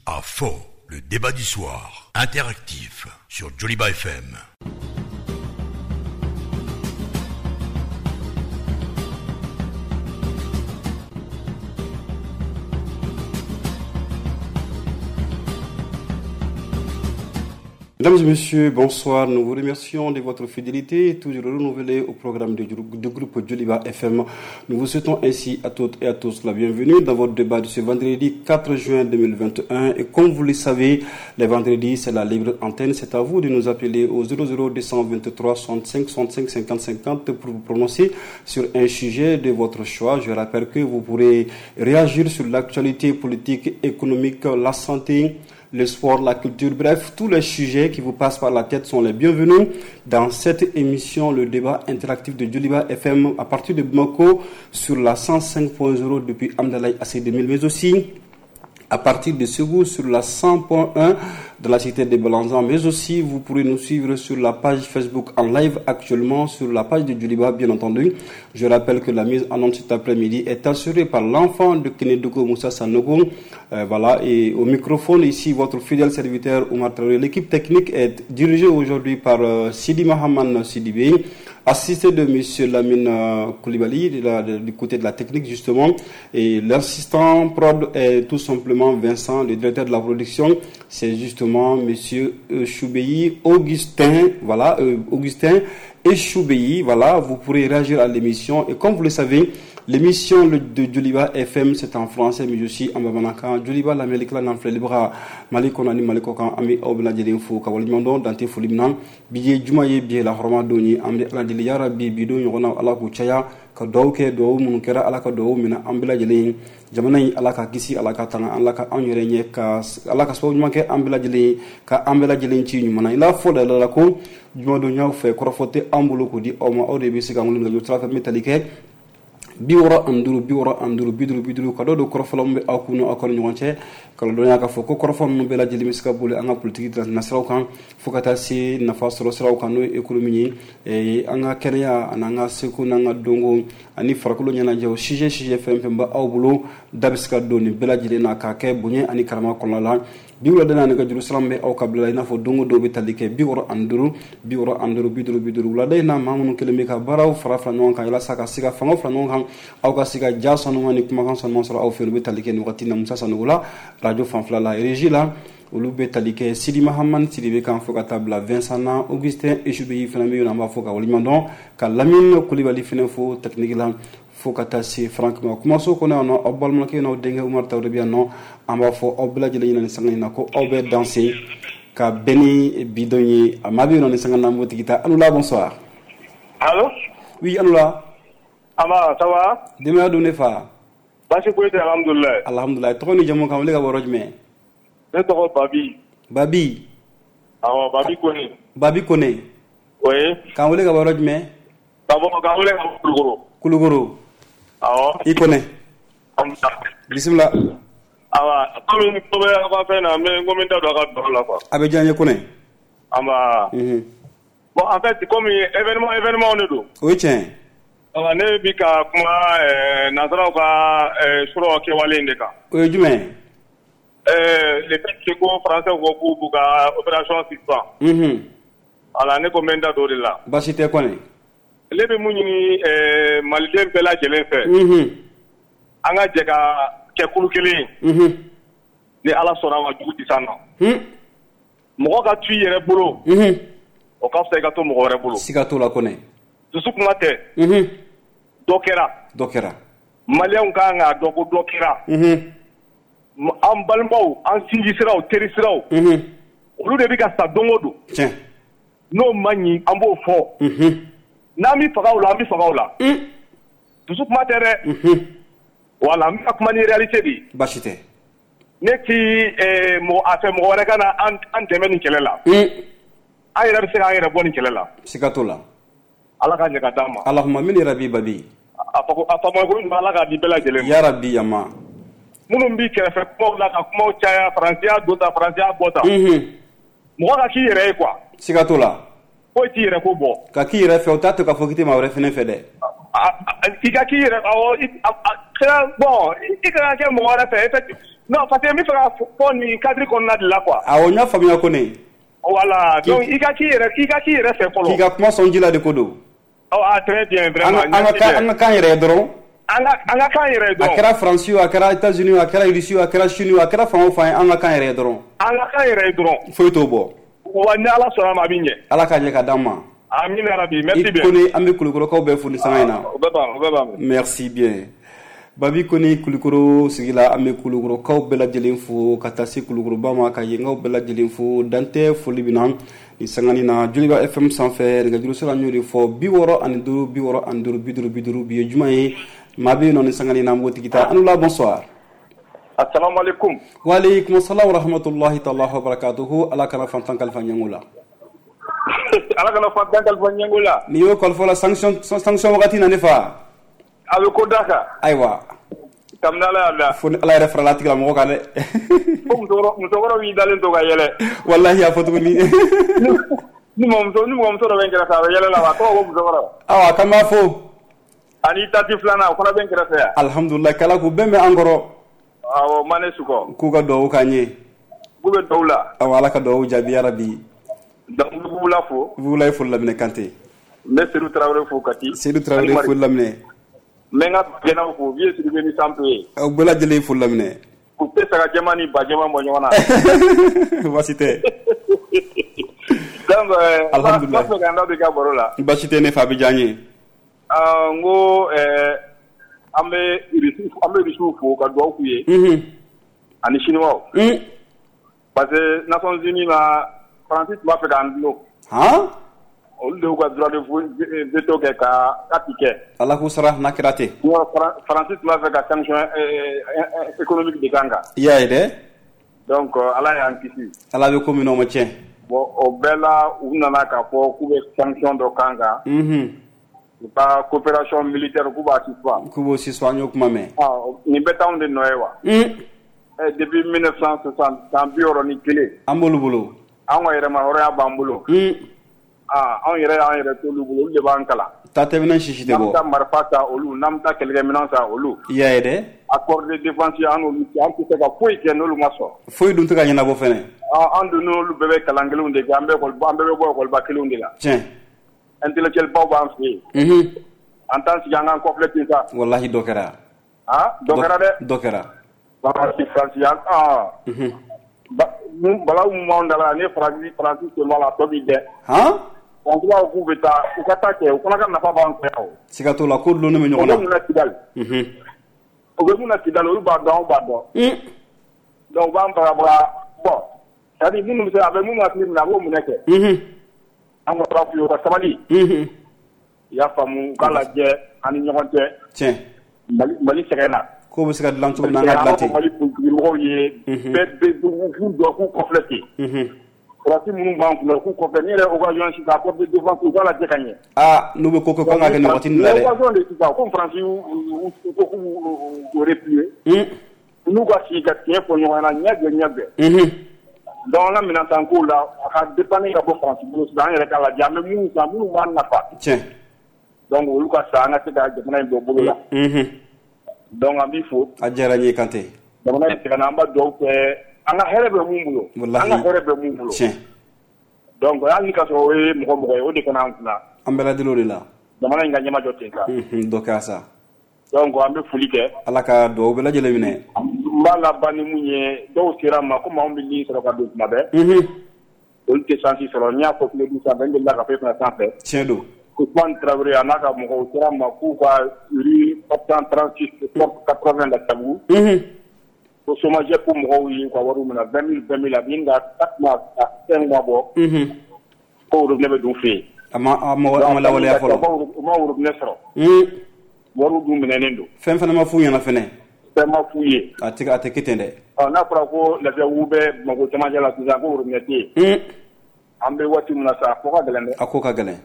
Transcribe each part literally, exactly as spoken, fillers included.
À fond, le débat du soir, interactif sur Djoliba F M. Mesdames et messieurs, bonsoir. Nous vous remercions de votre fidélité, toujours renouvelée au programme du groupe Djoliba F M. Nous vous souhaitons ainsi à toutes et à tous la bienvenue dans votre débat de ce vendredi quatre juin deux mille vingt et un. Et comme vous le savez, les vendredis, c'est la libre antenne. C'est à vous de nous appeler au zéro zéro deux cent vingt-trois soixante-cinq soixante-cinq cinquante cinquante pour vous prononcer sur un sujet de votre choix. Je rappelle que vous pourrez réagir sur l'actualité politique, économique, la santé, le sport, la culture, bref, tous les sujets qui vous passent par la tête sont les bienvenus dans cette émission, le débat interactif de Djoliba F M à partir de Bamako sur la cent cinq point zéro depuis Hamdallaye A C deux mille, mais aussi à partir de Ségou sur la cent point un de la cité de Balanzan, mais aussi vous pourrez nous suivre sur la page Facebook en live actuellement sur la page de Djoliba, bien entendu. Je rappelle que la mise en onde cet après-midi est assurée par l'enfant de Kenedogo, Moussa Sanogo. Euh, voilà, et au microphone ici, votre fidèle serviteur Oumar Traoré. L'équipe technique est dirigée aujourd'hui par euh, Sidi Mahaman Sidibé, assisté de monsieur Lamine Koulibaly de la, de, du côté de la technique justement, et l'assistant prod est tout simplement Vincent, le directeur de la production, c'est justement monsieur Choubéi Augustin, voilà, euh, Augustin Choubéi, voilà, vous pourrez réagir à l'émission et comme vous le savez, l'émission de Djoliba F M, c'est en français, mais aussi en bamanankan. Djoliba, l'Amérique, la n'en fait les bras. Mali kɔnɔ ni Mali kɔkan, an bɛ aw bɛɛ lajɛlen fo ka waleɲuman dɔn dan tɛ foli min na. Bi ye juma ye, bi ye lahɔrɔma don ye. An bɛ Ala deli yarabi bi don ɲɔgɔnna Ala k'u caya ka dugawu kɛ, dugawu minnu kɛra Ala ka dugawu minɛ an bɛɛ lajɛlen. Jamana in Ala ka kisi, Ala ka tanga, Ala ka anw yɛrɛ ɲɛ, ka Ala ka sababu ɲuman kɛ an bɛɛ lajɛlen, ka an bɛɛ lajɛlen ci ɲuman na. I n'a fɔ da la ko jumadonyaw fɛ kɔrɔfɔ tɛ an bolo k'o di aw ma, aw de bɛ se ka wele nɛgɛjuru sira fɛ min bɛ tali kɛ bi wɔɔrɔ ani duuru bi wɔɔrɔ ani duuru bi duuru bi duuru ka dɔ don kɔrɔfɔla min bɛ aw kun aw ka ɲɔgɔn cɛ ka dɔnya k'a fɔ ko kɔrɔfɔ ninnu bɛɛ lajɛlen bɛ se ka boli an ka politiki nasiraw kan fo ka taa se nafa sɔrɔ siraw kan n'o ye économie ye, an ka kɛnɛya ani an ka seko n'an ka dɔnko ani farikolo ɲɛnajɛw sujet sujet fɛn fɛn bɛ aw bolo da bɛ se ka don nin bɛɛ lajɛlen na k'a kɛ bonya ani karama kɔnɔna la. Bi wulada na nɛgɛjuru sira min bɛ aw ka bila i n'a fɔ don o don bɛ tali kɛ bi wɔɔrɔ ani duuru bi wɔɔrɔ ani duuru bi duuru bi duuru wulada in na maa minnu kɛlen bɛ ka baaraw fara fara ɲɔgɔn kan walasa ka se ka fangaw fara ɲɔgɔn kan aw ka se ka ja sanuman ni kumakan sanuman sɔrɔ aw fɛ olu bɛ tali kɛ nin wagati na Musa Sanogo la radio fanfɛla la régie la olu bɛ tali kɛ Sidi Mahaman Sidibe kan fo ka taa bila Vincent na Augustin Echubeyi fana bɛ yen an b'a fɔ ka waleɲuman dɔn ka Lamine Kulibali fana fo technique la fo ka taa se Franck ma kumaso kɔnɔ yan nɔ aw balimakɛ n'aw denkɛ Umar Traoré bɛ yan nɔ an b'a fɔ aw bɛɛ lajɛlen ɲɛna nin sanga in na ko aw bɛ danse ka bɛn ni bi don ye a maa bɛ yen nɔ nin sanga na an b'o tigi ta. Alula, bonsoir. Allo. Oui, Alula. Aba, ça va? Denbaya dun ne fa? Baasi foyi tɛ, alhamdulilayi. Alhamdulilayi. Tɔgɔ ni jamu kan wele ka bɔ yɔrɔ jumɛn? Ne tɔgɔ Babi. Babi. Awɔ, Babi Kone. Babi Kone. Oui. K'an wele ka bɔ yɔrɔ jumɛn? Ka bɔ k'an wele ka bɔ Kulukoro. Kulukoro. Awɔ. I Kone. Bisimila. Awa, komi ko bɛ aw ka fɛn na, n bɛ n ko n bɛ n da don a ka baro la quoi. A bɛ diya n ye Kone. Anba. Unhun. Bon, en fait, komi événement événement de don. O ye tiɲɛ ye. Awa, ne bi ka kuma ɛɛ nansaraw ka ɛɛ surɔ kɛwale in de kan. O ye jumɛn ye? Euh, le fait que ko français ko k'u b'u ka opération suspend. Unhun. Voilà, ne ko n bɛ n da don o de la. Baasi tɛ Kone. Ne bɛ mun ɲini ɛɛ maliden bɛɛ lajɛlen fɛ. Unhun. An ka jɛ ka kɛ kulu kelen ye. Unhun. Ni Ala sɔnna a ma jugu tɛ s'an ma. Un. Mɔgɔ ka to i yɛrɛ bolo. Unhun. O ka fisa i ka to mɔgɔ wɛrɛ bolo. Siga t'o la Kone. Dusu kuma tɛ. Unhun. Dɔ kɛra. Dɔ kɛra. Maliyɛnw ka kan k'a dɔn ko dɔ kɛra. Unhun. An balimaw, an sinji siraw, teri siraw. Unhun. Olu de bɛ ka sa don o don. Tiɲɛ. N'o ma ɲi, an b'o fɔ. Unhun. N'an bɛ faga o la, an bɛ faga o la. Un. Dusu kuma tɛ dɛ. Unhun. Voilà, n bɛ ka kuma ni réalité de ye. Baasi tɛ. Ne ti ɛɛ mɔgɔ a fɛ mɔgɔ wɛrɛ ka na an an dɛmɛ nin kɛlɛ la. Un. An yɛrɛ bɛ se k'an yɛrɛ bɔ nin kɛlɛ la. Siga t'o la. Ala ka ɲɛ ka d'an ma. Alahuma min yarabi Babi. A fɔ a faamuyali ko ɲuman Ala k'a di bɛɛ lajɛlen ma. Yarabi yama. Minnu b'i kɛrɛfɛ kumaw la ka kumaw caya faransiya don tan faransiya bɔ tan. Unhun. Mɔgɔ ka k'i yɛrɛ ye quoi. Siga t'o la. Foyi t'i yɛrɛ ko bɔ. Ka k'i yɛrɛ fɛ o t'a to k'a fɔ k'i tɛ maa wɛrɛ fɛnɛ fɛ dɛ. I ka k'i yɛrɛ awɔ bon i kana kɛ mɔgɔ wɛrɛ fɛ. Non, parce que n bɛ fɛ ka fɔ nin cadre kɔnɔna de la quoi. Awɔ, n y'a faamuya ko ne. Voilà, donc i ka k'i yɛrɛ i ka k'i yɛrɛ fɛ fɔlɔ. K'i ka kuma sɔn ji la de ko don. Oh, ah, très bien, vraiment. An ka an ka kan yɛrɛ ye dɔrɔn. An ka an ka kan yɛrɛ ye dɔrɔn. A kɛra Faransi o, a kɛra États-Unis o, a kɛra Russie o, a kɛra Chine o, a kɛra fan o fan ye, an ka kan yɛrɛ ye dɔrɔn. An ka kan yɛrɛ ye dɔrɔn. Foyi t'o bɔ. Wa ni Ala sɔnna a ma, a bɛ ɲɛ. Ala k'a ɲɛ ka d'an ma. Amina rabi, merci bien. I Kone, an bɛ Kulukɔrɔkaw bɛɛ fo ni sanga in na. O bɛɛ b'an, o bɛɛ b'an. Merci bien. Babi Kone Kulukɔrɔ sigi la, an bɛ Kulukɔrɔkaw bɛɛ lajɛlen fo ka taa se Kulukɔrɔba ma, ka yenkaw bɛɛ lajɛlen fo, dan tɛ foli min na ni sangani na Joliba F M sanfɛ. Nɛgɛjuru sira n y'o de fɔ, bi wɔɔrɔ ani duuru bi wɔɔrɔ ani duuru bi duuru bi duuru. Bi ye juma ye, maa bɛ yen nɔ ni sangani na, an b'o tigi ta. An la, bonsoir. Assalamu alaikum. Wa alaikum assalam wa rahmatullahi ta'ala wa barakatuhu. Ala kana fantan kalifa ɲɛngo la. Ala kana fantan kalifa ɲɛngo la. N'i y'o kalifa la, sanction sanction wagati na ne fa. A bɛ ko da kan. Ayiwa. Kabini Ala y'a da. Fo ni Ala yɛrɛ farala a tigilamɔgɔ kan dɛ. Fo musokɔrɔ musokɔrɔ b'i dalen to ka yɛlɛ. Walahi a fɔ tuguni. Ni mɔgɔmuso ni mɔgɔmuso dɔ bɛ n kɛrɛfɛ, a bɛ yɛlɛ la wa, a tɔgɔ ko musokɔrɔ. Awa, k'an b'a fo. Ani tati filanan, o fana bɛ n kɛrɛfɛ yan. Alhamdulilayi, k'Ala k'u bɛn bɛ an kɔrɔ. Awɔ, Mane Sukɔ. K'u ka duwawu k'an ye. K'u bɛ duwawu la. Awa, Ala ka duwawu jaabi yarabi. Donc n bɛ Bubula fo. Bubula ye foli laminɛ Kante. N bɛ Seydou Tarawele fo Kati. Seydou Tarawele foli laminɛ. N bɛ n ka gɛnnaw fo, Vieux Sidibe ni Sanpe ye. Aw bɛɛ lajɛlen ye foli laminɛ. U tɛ saga jɛman ni ba jɛman bɔ ɲɔgɔn na. Baasi tɛ. Donc alhamdulilayi. N b'a fɛ ka n da don i ka baro la. Baasi tɛ ne fa, a bɛ diya n ye. N ko an bɛ an bɛ Rusiw fo ka duwawu k'u ye. Ani Chinois. Parce que Nations Unies na, Faransi tun b'a fɛ k'an dulon. Han? Olu de y'u ka droit de veto kɛ ka k'a ti kɛ. Ala k'u sara n'a kɛra ten. Faransi tun b'a fɛ ka sanction économique de k'an kan. I y'a ye dɛ. Donc Ala y'an kisi. Ala bɛ ko min na, o ma tiɲɛ. Bon, o bɛɛ la, u nana k'a fɔ k'u bɛ sanction dɔ k'an kan. U ka coopération militaire, k'u b'a suspendre. K'u b'o suspendre, an y'o kuma mɛn. Nin bɛɛ t'anw de nɔ ye wa? Depuis mille neuf cent soixante, san bi wɔɔrɔ ni kelen. An b'olu bolo. An ka yɛrɛma hɔrɔnya b'an bolo. Ah, anw yɛrɛ y'an yɛrɛ t'olu bolo, olu de b'an kalan. Ta tɛmɛnɛn sisi tɛ bɔ. N'an bɛ taa marifa san olu, n'an bɛ taa kɛlɛkɛminɛn san olu. I y'a ye dɛ. Accord de défense an n'olu cɛ, an tɛ se ka foyi kɛ n'olu ma sɔn. Foyi dun tɛ ka ɲɛnabɔ fɛnɛ. An dun n'olu bɛɛ bɛ kalan kelenw de kɛ, an bɛɛ an bɛɛ bɛ bɔ ekɔliba kelenw de la. Tiɲɛ. Intellectuel baw b'an fɛ yen. An t'an sigi an k'an kɔfilɛ ten sa. Walahi dɔ kɛra. Ah, dɔ kɛra dɛ. Dɔ kɛra. Faransi Faransi an ah. Balawu mun b'anw da la, ni Faransi Faransi sen b'a la, a tɔ b'i dɛ. Han? Faransi b'a fɔ k'u bɛ taa, u ka taa kɛ, u fana ka nafa b'an fɛ yan o. Siga t'o la, ko dulonnen bɛ ɲɔgɔn na. U bɛ mun na Kidali? U bɛ mun na Kidali, olu b'a dɔn, anw b'a dɔn. Donc u b'an bagabaga, bon, c'est à dire minnu bɛ se, a bɛ minnu hakili minɛ, a b'o minɛ kɛ. An kɔni b'a f'u ye, u ka sabali. I y'a faamu, u k'a lajɛ an ni ɲɔgɔn cɛ. Tiɲɛ. Mali Mali sɛgɛn na. K'o bɛ se ka dilan cogo min na, an ka dilan ten. Mali politikimɔgɔw ye bɛɛ bɛ k'u jɔ k'u kɔfilɛ ten. Faransi minnu b'an kunna, k'u kɔfilɛ, ni yɛrɛ occasion sisan, accord de défense, u k'a lajɛ ka ɲɛ. Aa, n'u bɛ ko kɛ, k'an ka kɛ nin waati nin la dɛ. Occasion de sisan, ko Faransi y'u ko k'u b'u replier. N'u ka sigi ka tiɲɛ fɔ ɲɔgɔn ɲɛna, ɲɛ jɔ ɲɛ bɛɛ. Donc an ka minɛn san kow la, a ka dépendre ka bɔ Faransi bolo sisan, an yɛrɛ k'a lajɛ, an bɛ minnu san, minnu b'an nafa. Tiɲɛ. Donc olu ka san, an ka se ka jamana in bɔ bolo la. Donc an b'i fo. A diyara n ye Kante. Jamana in sɛgɛnna, an b'a dugawu kɛ, an ka hɛrɛ bɛ mun bolo. Walahi. An ka hɛrɛ bɛ mun bolo. Tiɲɛ. Donc hali ni ka sɔrɔ o ye mɔgɔ mɔgɔ ye, o de kana an kunna. An bɛɛ lajɛlen o de la. Jamana in ka ɲɛmajɔ ten sa. Dɔ kɛra sa. Donc an bɛ foli kɛ. Ala ka dugawu bɛɛ lajɛlen minɛ. N b'a laban ni mun ye, dɔw sera n ma komi anw bɛ ligne sɔrɔ ka don tuma bɛɛ. Olu tɛ chance sɔrɔ, n y'a fɔ Kiledu sanfɛ, n delila ka fɔ e fana sanfɛ. Tiɲɛ don. Ousmane Traoré a n'a ka mɔgɔw sera ma k'u ka rue quatre cent trente-six quatre-vingts la Tabu. Ko SOMAGEP mɔgɔw y'u ka wariw minɛ vingt mille vingt mille, a bɛ ɲini ka quatre mois à cinq mois bɔ. Ko robinet bɛ don u fɛ yen. A ma a ma lawaleya fɔlɔ. U ma robinet sɔrɔ. Wariw dun minɛnen don. Fɛn fana ma f'u ɲɛna fɛnɛ. Fɛn ma f'u ye. A tɛ a tɛ kɛ ten dɛ. Ɔ, n'a fɔra ko Lafiyabugu bɛ Bamakɔ cɛmancɛ la sisan, ko robinet tɛ yen. An bɛ waati min na sa, a ko ka gɛlɛn dɛ. A ko ka gɛlɛn.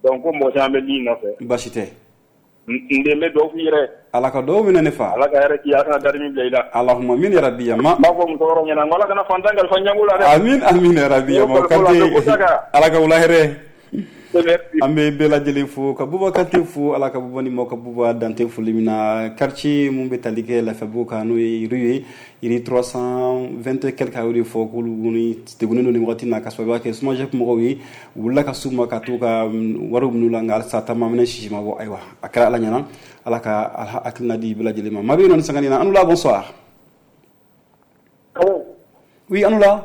Donc ko mɔgɔ caman bɛ ligne nɔfɛ. Baasi tɛ. N den bɛ dugawu k'i yɛrɛ. Ala ka dugawu minɛ ne fa. Ala ka hɛrɛ k'i ye, Ala kana dari min bila i la. Allahumma amin ya rabbi ya ma. N b'a fɔ musokɔrɔbaw ɲɛna, n ko Ala kana fantan kalifa ɲɛngo la dɛ. Amin amin ya rabbi ya ma. Kante, Ala ka wula hɛrɛ. An bɛ bɛɛ lajɛlen fo ka Buba Kante fo, Ala ka Buba ni maaw ka Buba dante foli min na. Quartier mun bɛ tali kɛ Lafiyabugu kan, n'o ye rue ye, rue trois cent vingt et quelque, a y'o de fɔ k'olu ni degunnen don nin wagati in na, ka sababuya kɛ SOMAGEP mɔgɔw ye. U wulila ka s'u ma ka t'u ka wariw minɛ u la, nka halisa taama minɛ sisi ma bɔ. Ayiwa, a kɛra Ala ɲɛna, Ala ka hakilina di bɛɛ lajɛlen ma. Maa bɛ yen nɔ ni sanga in na? An la, bonsoir. Oui, an la.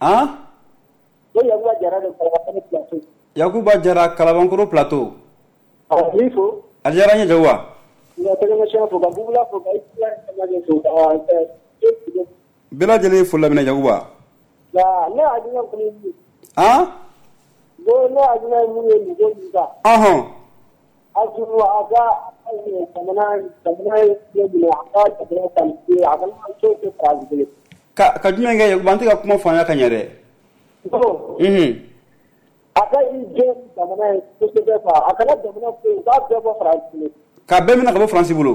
Han, Yakuba Jara, Kalabankoro Plateau. A diyara n ye, Jakuba. Bɛɛ lajɛlen foli laminɛ, Yakuba. Han, ɔhɔn, ka ka jumɛn kɛ, Yakuba? An tɛ ka kuma faamuya ka ɲɛ dɛ. Mhm. A ka i jɔ jamana ye kosɛbɛ quoi, a kana jamana to yen, u k'a bɛɛ bɔ Faransi bolo. K'a bɛɛ minɛ ka bɔ Faransi bolo.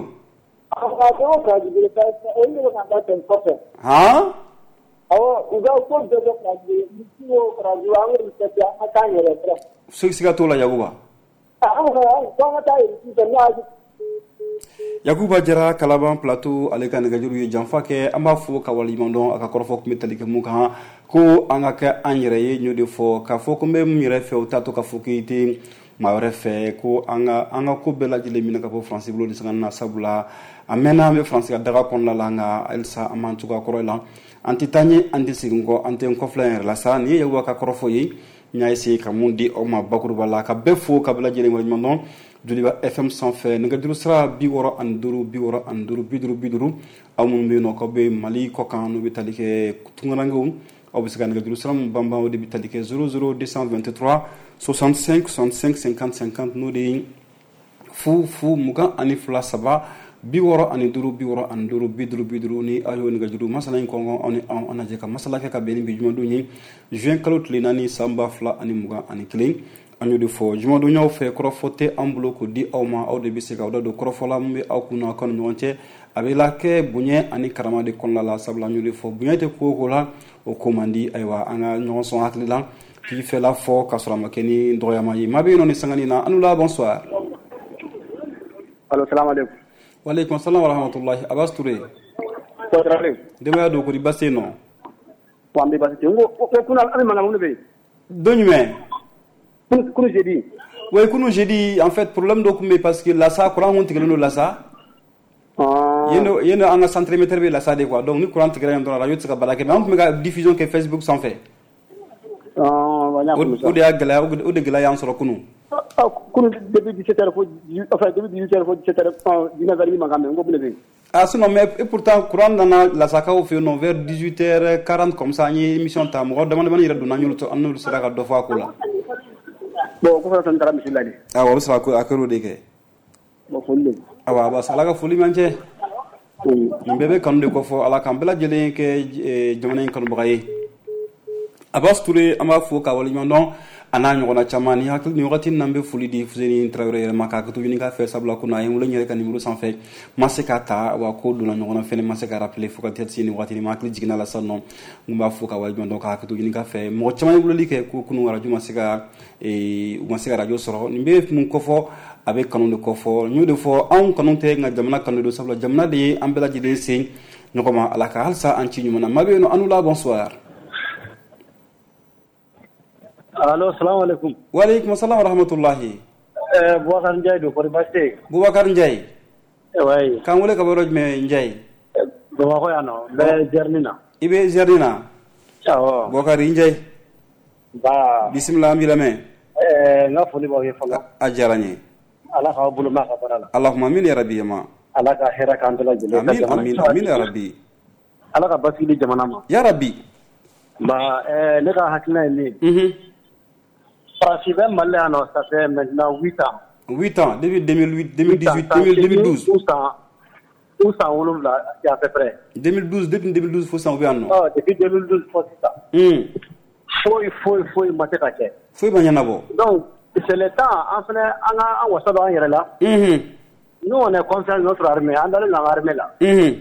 A k'a bɛɛ bɔ Faransi bolo, olu de bɛ k'an ta kɔfɛ. Han. Awɔ, u ka ko bɛɛ bɔ Faransi bolo, Irisi o Faransi o, an k'olu tɛ an ka taa an yɛrɛ fɔlɔ. Siga t'o la, Yakuba. An ko an ka taa Irisi fɛ n'o y'a Yakuba Jara, Kalaban Plateau, ale ka nɛgɛjuru ye janfa kɛ. An b'a fɔ ka waleɲuman dɔn. A ka kɔrɔfɔ tun bɛ tali kɛ mun kan? Ko an ka kɛ an yɛrɛ ye. N y'o de fɔ k'a fɔ ko n bɛ mun yɛrɛ fɛ, o t'a to k'a fɔ k'i tɛ maa wɛrɛ fɛ. Ko an ka an ka ko bɛɛ lajɛlen minɛ ka bɔ Faransi bolo nin sanga na, sabula a mɛnna an bɛ Faransi ka daga kɔnɔna la, nka halisa an m'an cogoya kɔrɔ la. An tɛ taa ɲɛ, an tɛ segin kɔ, an tɛ n kɔfilɛ yɛrɛ la sa. Nin ye Yakuba ka kɔrɔfɔ ye, n y'a essayer ka mun di aw ma bakuruba la, ka bɛɛ fo ka bɛɛ lajɛlen waleɲuman dɔn. Joliba F M sanfɛ, nɛgɛjuru sira bi wɔɔrɔ ani duuru bi wɔɔrɔ ani duuru bi duuru bi duuru. Aw minnu bɛ yen nɔ k'aw bɛ Mali kɔ kan, n'u bɛ tali kɛ tunkarankew, aw bɛ se ka nɛgɛjuru sira mun banban, o de bɛ tali kɛ zéro zéro deux cent vingt-trois soixante-cinq soixante-cinq cinquante cinquante, n'o de ye fu fu mugan ani fila saba bi wɔɔrɔ ani duuru bi wɔɔrɔ ani duuru bi duuru bi duuru. Ni aw y'o nɛgɛjuru masala in kɔngɔ, aw ni anw an lajɛ ka masala kɛ ka bɛn ni bi jumadon ye, juin kalo tile naani, san ba fila ani mugan ani kelen. An y'o de fɔ jumadonyaw fɛ, kɔrɔfɔ tɛ an bolo k'o di aw ma, aw de bɛ se k'aw da don kɔrɔfɔ la mun bɛ aw kun na aw ni ɲɔgɔn cɛ. A bɛ la kɛ bonya ani karama de kɔnɔna la, sabula an y'o de fɔ, bonya tɛ ko o ko la, o ko man di. Ayiwa, an ka ɲɔgɔn sɔn hakili la k'i fɛla fɔ k'a sɔrɔ a ma kɛ ni dɔgɔyama ye. Maa bɛ yen nɔ ni sanga na? An la, bonsoir. Allo, salam aleykum. Waaleykum salam wa rahmatullahi. Abbas Touré. Denbaya don, kori baasi tɛ yen nɔ? An bɛ baasi tɛ yen. N ko ko kunun an bɛ mankan mun de bɛ yen? Don jumɛn? Kunu jeudi. Oui, kunu jeudi, en fait, problème dɔ tun bɛ yen parce que Lasa courant kun tigɛlen don Lasa. Yen nɔ yen nɔ an ka centre émetteur bɛ Lasa de quoi. Donc ni courant tigɛra yen dɔrɔn, radio tɛ se ka baara kɛ, mais an tun bɛ ka diffusion kɛ Facebook sanfɛ. O de y'a gɛlɛya, o de gɛlɛya y'an sɔrɔ kunun. Kunu depuis dix-sept heures fo, enfin depuis dix-huit heures fo dix-sept heures, dix-neuf heures mankan mɛn, n ko mun de bɛ yen? Ah sinon, mais et pourtant courant nana Lasakaw fɛ yen nɔ vers dix-huit heures quarante comme ça, an ye émission ta, mɔgɔ dama damani yɛrɛ donna, an y'olu an n'olu sera ka dɔ fɔ a ko la. Bon, o kɔfɛ n taara misi la de. Awɔ, o bɛ sɔrɔ a kɛr'o de kɛ. Bon, foli de. Awa, Abbas, Ala ka foli b'an cɛ. Nin bɛɛ bɛ kanu de kɔfɔ, Ala k'an bɛɛ lajɛlen kɛ jamana in kanubaga ye. Abbas Touré, an b'a fo k'a waleɲuman dɔn, a n'a ɲɔgɔnna caman. Ni hakili ni wagati in na, n bɛ foli di Fuseni Tarawele yɛrɛ ma k'a to ɲini k'a fɛ, sabula ko a ye n wele n yɛrɛ ka numéro sanfɛ, ma se k'a ta wa ko donna ɲɔgɔn na fɛnɛ, ma se ka rappeler fo ka taa se nin wagati ma. Hakili jiginna la sisan nɔ, n b'a fo k'a waleɲuman dɔn k'a to ɲini k'a fɛ. Mɔgɔ caman ye weleli kɛ ko kunun radio ma se ka u ma se ka radio sɔrɔ. Nin bɛ mun kɔfɔ? A bɛ kanu de kɔfɔ. N y'o de fɔ, anw kanu tɛ, nka jamana kanu don, sabula jamana de ye an bɛɛ lajɛlen sen ɲɔgɔn ma. Ala ka halisa an ci ɲuman na. Maa bɛ yen nɔ? An la, bonsoir. Allo, salam alaikum. Waaleykum salam wa rahmatullahi. Eh, Boubacar Ndiaye don, kɔri baasi tɛ yen? Boubacar Ndiaye. Oui. K'an wele ka bɔ yɔrɔ jumɛn, Ndiaye? Bamakɔ yan nɔ, n bɛ Zɛrini na. I bɛ Zɛrini na? Awɔ. Boubacar Ndiaye. Ba. Bisimila, an b'i lamɛn. Eh, n ka foli b'aw ye fɔlɔ. A diyara n ye. Ala k'aw bolo mɛn a ka baara la. Allahumma amin ya rabbi ma. Ala ka hɛrɛ k'an bɛɛ lajɛlen. Amin amin amin ya rabbi. Ala ka basigi di jamana ma. Ya rabbi. Ba, eh, ne ka hakilina ye min ye. Mhm. Faransi bɛ Mali la yan nɔ, ça fait maintenant huit ans. huit ans, depuis deux mille huit, deux mille dix-huit, deux mille douze. Ou san ou san wolonwula à peu près. deux mille douze, depuis deux mille douze fo sisan u bɛ yan nɔ. Ɔ, depuis deux mille douze fo sisan. Un. Foyi foyi foyi ma se ka kɛ. Foyi ma ɲɛnabɔ. Donc c'est le temps an fana an ka an wasa don an yɛrɛ la. Unhun. Nous, on est confiant de notre armée, an dalen don an ka armée la. Unhun.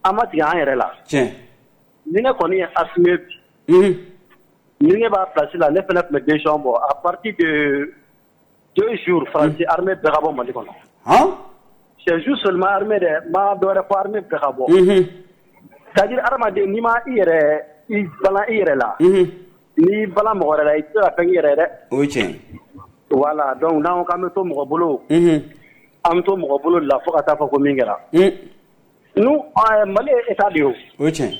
An ma tigɛ an yɛrɛ la. Tiɲɛ. Ni ne kɔni ye Assimi bi. Unhun. Ni ne b'a place la, ne fana tun bɛ décision bɔ à partir de deux jours, Faransi armée bɛɛ ka bɔ Mali kɔnɔ. Han? C'est juste seulement armée dɛ, n ma dɔ wɛrɛ fɔ, armée bɛɛ ka bɔ. C'est à dire hadamaden, n'i ma i yɛrɛ i balan i yɛrɛ la, n'i balan mɔgɔ wɛrɛ la, i tɛ se ka fɛn k'i yɛrɛ ye dɛ. O ye tiɲɛ. Voilà, donc n'an ko k'an bɛ to mɔgɔ bolo, an bɛ to mɔgɔ bolo de la fo ka taa fɔ ko min kɛra. Nous, Mali ye état de ye o. O ye tiɲɛ.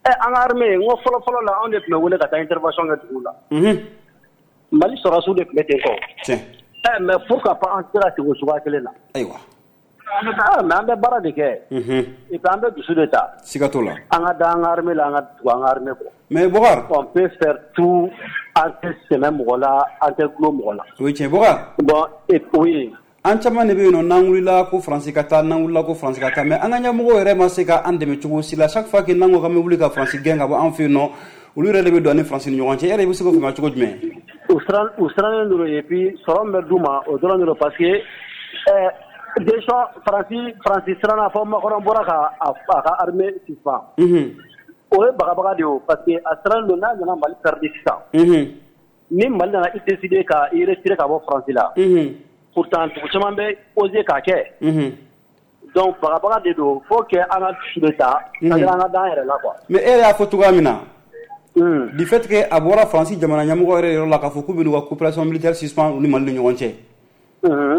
Ɛ, an ka armée, n ko fɔlɔ fɔlɔ la, anw de tun bɛ wele ka taa intervention kɛ dugu la. Mali sɔrɔdasiw de tun bɛ ten tɔ. Tiɲɛ. Ɛ, mais pourquoi pas an tɛ se ka segin o cogoya kelen na? Ayiwa. Ah, mais an bɛ baara de kɛ. Et puis an bɛ dusu de ta. Siga t'o la. An ka da an ka armée la, an ka tugu an ka armée kɔ. Mais Bokar. On peut faire tout, an tɛ sɛmɛ mɔgɔ la, an tɛ gulon mɔgɔ la. O ye tiɲɛ, Bokar. Bon, et oui. An caman de bɛ yen nɔ, n'an wulila ko Faransi ka taa, n'an wulila ko Faransi ka taa, mais an ka ɲɛmɔgɔw yɛrɛ ma se ka an dɛmɛ cogo si la. Chaque fois que n'an ko k'an bɛ wuli ka Faransi gɛn ka bɔ an fɛ yen nɔ, olu yɛrɛ de bɛ don an ni Faransi ni ɲɔgɔn cɛ. E yɛrɛ bɛ se k'o faamuya cogo jumɛn? U siran u sirannen don, et puis sɔrɔ min bɛ d'u ma, o dɔrɔn de don, parce que ɛɛ déjà Faransi Faransi siranna fɔ Macron bɔra ka a ka armée suspend. O ye bagabaga de ye o, parce que a sirannen don n'a nana Mali perdu sisan. Ni Mali nana i décider ka i retirer ka bɔ Faransi la. Pourtant dugu caman bɛ oser k'a kɛ. Donc bagabaga de don, faut que an ka dusu de ta, c'est-à-dire an ka da an yɛrɛ la quoi. Mais e yɛrɛ y'a fɔ cogoya min na, du fait que a bɔra Faransi jamana ɲɛmɔgɔ yɛrɛ yɔrɔ la k'a fɔ k'u bɛ n'u ka coopération militaire suspend u ni Mali ni ɲɔgɔn cɛ.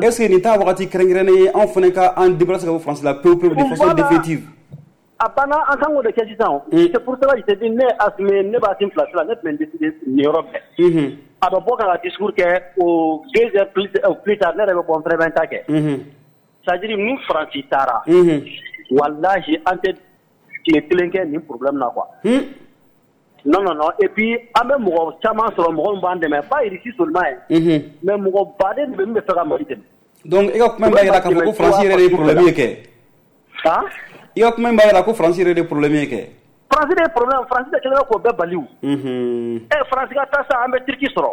Est-ce que nin t'a wagati kɛrɛnkɛrɛnnen ye anw fana ka an débarrasser ka bɔ Faransi la pewu pewu de façon définitive? A banna, an kan k'o de kɛ sisan. C'est pour cela que je te dis, ne Assimi, ne b'a Assimi place la, ne tun bɛ décider nin yɔrɔ bɛɛ. A bɛ bɔ ka discours kɛ o deux heures plus plus tard, ne yɛrɛ bɛ bɔ, n fɛnɛ bɛ n ta kɛ. C'est-à-dire ni Faransi taara, walahi an tɛ tile kelen kɛ nin problème na quoi. Non, non, non. Et puis an bɛ mɔgɔ caman sɔrɔ, mɔgɔ min b'an dɛmɛ, pas Russie seulement ye, mais mɔgɔ baden de bɛ min bɛ fɛ ka Mali dɛmɛ. Donc e ka kuma in b'a jira k'a fɔ ko Faransi yɛrɛ de ye problème ye kɛ. Han? I ka kuma in b'a jira ko Faransi yɛrɛ de ye problème ye kɛ. Faransi de ye problème, Faransi de kɛlen bɛ k'o bɛɛ bali o. Ɛ, Faransi ka taa sa, an bɛ Turquie sɔrɔ.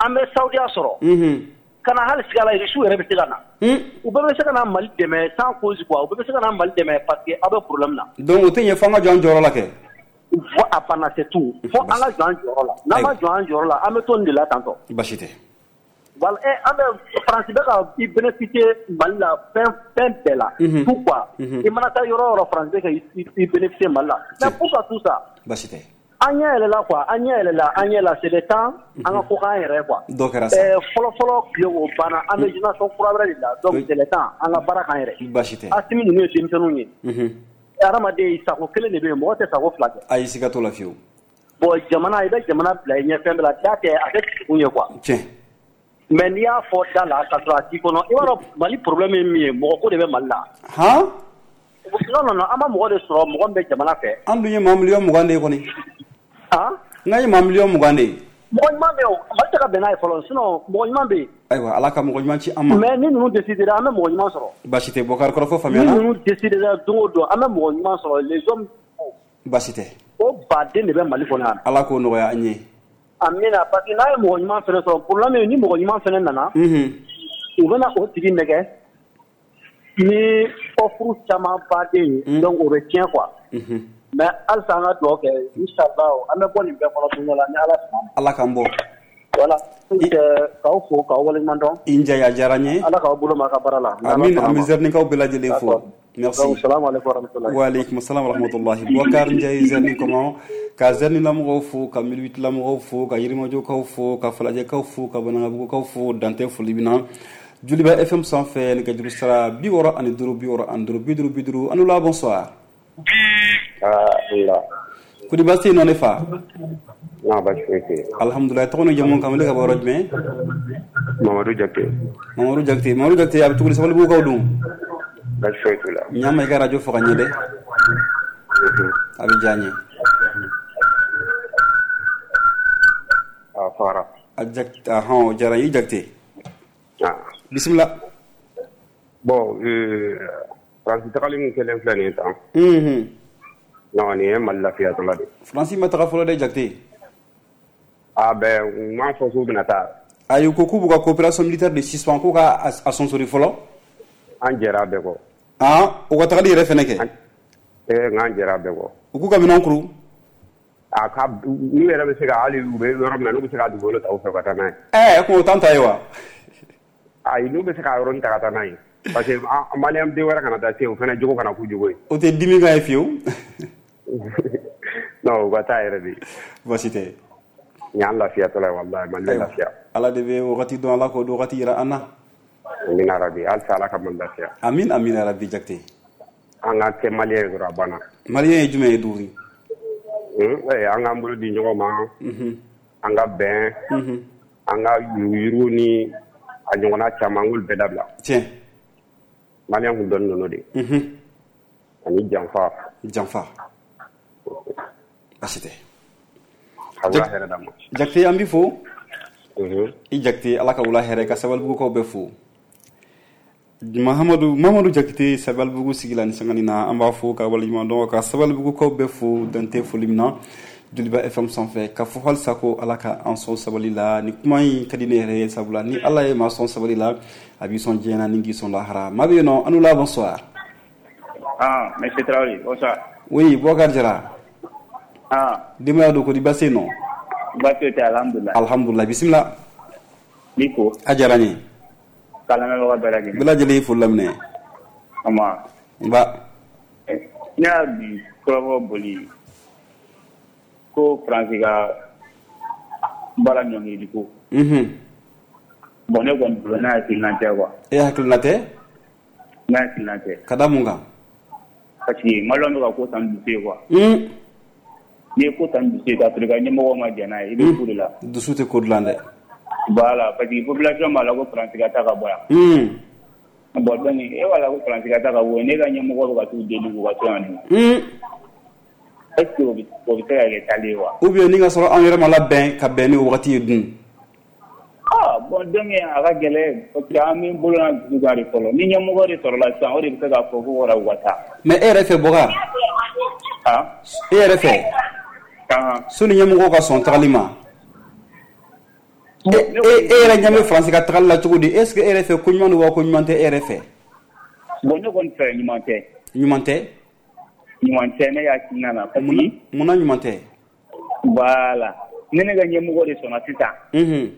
An bɛ Saudiya sɔrɔ. Ka na hali sigi a la, Russiw yɛrɛ bɛ se ka na. U bɛɛ bɛ se ka na Mali dɛmɛ sans cause quoi, u bɛɛ bɛ se ka na Mali dɛmɛ parce que aw bɛ problème na. Donc o tɛ ɲɛ fo an ka jɔ an jɔyɔrɔ la kɛ. Fo a banna, c'est tout. Fo an ka jɔ an jɔyɔrɔ la. N'an ma jɔ an jɔyɔrɔ la, an bɛ to nin de la tantɔ. Basi tɛ. Voilà, ɛ, an bɛ Faransi bɛ ka i bénéficier Mali la fɛn fɛn bɛɛ la. Pourquoi? I mana taa yɔrɔ o yɔrɔ, Faransi bɛ ka i bénéficier Mali la. Mais pourquoi tout ça? Basi tɛ. An ɲɛ yɛlɛla quoi, an ɲɛ yɛlɛla, an ɲɛ la, c'est le temps an ka ko k'an yɛrɛ quoi. Dɔ kɛra sa. Ɛɛ, fɔlɔ fɔlɔ tile o banna, an bɛ génération kura wɛrɛ de la, donc c'est le temps an ka baara k'an yɛrɛ. Basi tɛ. Assimi ninnu ye denmisɛnninw ye. Hadamaden, sago kelen de bɛ yen, mɔgɔ tɛ sago fila kɛ. Ayi, siga t'o la fiyewu. Bon, jamana, i bɛ jamana bila i ɲɛ fɛn bɛɛ la, da tɛ a tɛ dusukun ye quoi. Tiɲɛ. Mais n'i y'a fɔ da la ka sɔrɔ a t'i kɔnɔ, i b'a dɔn Mali problème ye min ye, mɔgɔ ko de bɛ Mali la. Han? Non, non, non, an ma mɔgɔ de sɔrɔ, mɔgɔ min bɛ jamana fɛ. An dun ye maa miliyɔn mugan de ye kɔni. Han? N k'an ye maa miliyɔn mugan de ye. Mɔgɔ ɲuman bɛ yen o, Mali tɛ ka bɛn n'a ye fɔlɔ, sinon mɔgɔ ɲuman bɛ yen. Ayiwa, Ala ka mɔgɔ ɲuman ci an ma. Mais ni ninnu décidera, an bɛ mɔgɔ ɲuman sɔrɔ. Basi tɛ, Bokar, kɔrɔfɔ faamuyana. Ni ninnu décidera don o don, an bɛ mɔgɔ ɲuman sɔrɔ, les hommes. Basi tɛ. O baden de bɛ Mali kɔnɔ yan. Ala k'o nɔgɔya an ye. Amina, parce que n'a ye mɔgɔ ɲuman fɛnɛ sɔrɔ, problème ye ni mɔgɔ ɲuman fɛnɛ nana, u bɛna o tigi nɛgɛ ni offre caman baden ye, donc o bɛ tiɲɛ quoi. Mais halisa an ka dugawu kɛ, inchallah an bɛ bɔ nin bɛɛ kɔnɔ don dɔ la ni Ala sɔnna ma. Ala k'an bɔ. Voilà, k'aw fo k'aw waleɲuman dɔn. I Njaye, a diyara n ye. Ala k'aw bolo mɛn a ka baara la. Amin, an bɛ Zɛrinikaw bɛɛ lajɛlen fo. Merci. Donc salam alaikum warahmatullahi. Wa alaikum salam wa rahmatullahi. Boubacar Ndiaye, Zerni comment, ka Zerni lamɔgɔw fo, ka mille huit lamɔgɔw fo, ka Yirimajɔkaw fo, ka Falajɛkaw fo, ka Banankabugukaw fo, dantɛ foli min na. Joliba F M sanfɛ, nɛgɛjuru sira bi wɔɔrɔ ani duuru, bi wɔɔrɔ ani duuru, bi duuru, bi duuru. An la, bonsoir. Ah, la. Kodi baasi tɛ yen nɔ ne fa? Non, baasi foyi tɛ yen. Alhamdulilayi, tɔgɔ ni jamu, k'an wele ka bɔ yɔrɔ jumɛn? Mamadu Jakite. Mamadu Jakite, Mamadu Jakite, a bɛ cogo di, Sabalibugukaw dun? Baasi foyi t'u la. Ɲama, i ka radio faga ɲɛ dɛ. A bɛ diya n ye. A fagara. A Jakite, ahɔn, o diyara n ye, i Jakite. Ah. Bisimila. Bon, euh, Faransi tagali min kɛlen filɛ nin ye tan. Unhun. Non, nin ye Mali lafiyatɔla de ye. Faransi ma taga fɔlɔ dɛ, Jakite. Ah ben, u m'a fɔ k'u bɛna taa. Ayi, u ko k'u b'u ka coopération militaire de suspend, k'u ka a sonsori fɔlɔ. An jɛra a bɛɛ kɔ. Ah, u ka tagali yɛrɛ fɛnɛ kɛ. Eh, nka an jɛra a bɛɛ kɔ. U k'u ka minɛnw kuru. A ka n'u yɛrɛ bɛ se ka hali u bɛ yɔrɔ min na n'u bɛ se ka dugukolo ta u fɛ ka taa n'a ye. Ɛɛ ko o t'an ta ye wa? Ayi, n'u bɛ se ka yɔrɔnin ta ka taa n'a ye. Parce que maliyɛn den wɛrɛ kana taa se o fana jogo kana k'u jogo ye. O tɛ dimi kan ye fiyewu. Non, u ka taa yɛrɛ de. Baasi tɛ. Nin y'an lafiyatɔla ye walahi, Mali bɛ lafiya. Ala de bɛ wagati dɔn, Ala k'o wagati yira an na. Amina rabi, halisa Ala ka Mali lafiya. Amin amina rabi Jakite. An ka kɛ maliyɛn ye dɔrɔn a banna. Maliyɛn ye jumɛn ye Duguri? An k'an bolo di ɲɔgɔn ma. An ka bɛn. An ka yuruguyurugu ni a ɲɔgɔnna caman an k'olu bɛɛ dabila. Tiɲɛ. Maliyɛn kun dɔnnen don n'o de ye. Ani janfa. Janfa. Baasi tɛ. Ka wula hɛrɛ d'an ma. Jakite an b'i fo. I Jakite Ala ka wula hɛrɛ ka Sabalibugukaw bɛɛ fo. Mahamadu Mahamadu Jakite Sabalibugu sigi la ni sangani na, an b'a fo ka waleɲuman dɔn ka Sabalibugukaw bɛɛ fo dante foli min na Joliba F M sanfɛ ka fɔ halisa ko Ala ka an sɔn sabali la. Ni kuma in ka di ne yɛrɛ ye sabula ni Ala ye maa sɔn sabali la a b'i sɔn diɲɛ na ni k'i sɔn lahara. Maa bɛ yen nɔ, an la bonsoir. Ah, monsieur Traoré, bonsoir. Oui, Boubacar Jara. Ah. Denbaya don ko di baasi nɔ? Baasi tɛ, alhamdulillah. Alhamdulillah, bisimila. N'i ko. A diyara n ye. K'a lamɛnbaga bɛɛ lajɛlen. Bɛɛ lajɛlen y'i foli laminɛ. Ama. Nba. Ne y'a bi kɔrɔfɔ boli ko Faransi ka baara ɲɔngirili ko. Unhun. Bon, ne kɔni bolo ne hakilina tɛ quoi. E hakilina tɛ? Ne hakilina tɛ. Ka da mun kan? Parce que maliyɛnw bɛ ka ko ta ni dusu ye quoi. Un. N'i ye ko ta ni dusu ye k'a sɔrɔ i ka ɲɛmɔgɔw ma jɛn n'a ye, i bɛ ko de la. Dusu tɛ ko dilan dɛ. Voilà, parce que population b'a la ko Faransi ka taa ka bɔ yan. Un. Bon, donc e b'a la ko Faransi ka taa ka bɔ yan, ne ka ɲɛmɔgɔ bɛ ka t'u deli k'u ka to yan nɔ. Un. Est-ce que o bɛ o bɛ se ka kɛ taali ye wa? Ou bien ni ka sɔrɔ an yɛrɛ ma labɛn ka bɛn ni o wagati ye dun. Ah bon, donc a ka gɛlɛn parce que an bɛ bolo n'a dusu kan de fɔlɔ. Ni ɲɛmɔgɔ de sɔrɔla sisan, o de bɛ se k'a fɔ ko wara u ka taa. Mais e yɛrɛ fɛ Boubacar? Ah. E yɛrɛ fɛ? Ah. Soni ɲɛmɔgɔw ka sɔn tagali ma. E e yɛrɛ ɲɛ bɛ Faransi ka tagali la cogo di? Est-ce que e yɛrɛ fɛ ko ɲuman don wa ko ɲuman tɛ e yɛrɛ fɛ? Bon, ne kɔni fɛ ɲuman tɛ. Ɲuman tɛ? Ɲuman tɛ ne hakilina na. Parce que munna ɲuman tɛ? Voilà. Ni ne ka ɲɛmɔgɔ de sɔnna sisan. Unhun.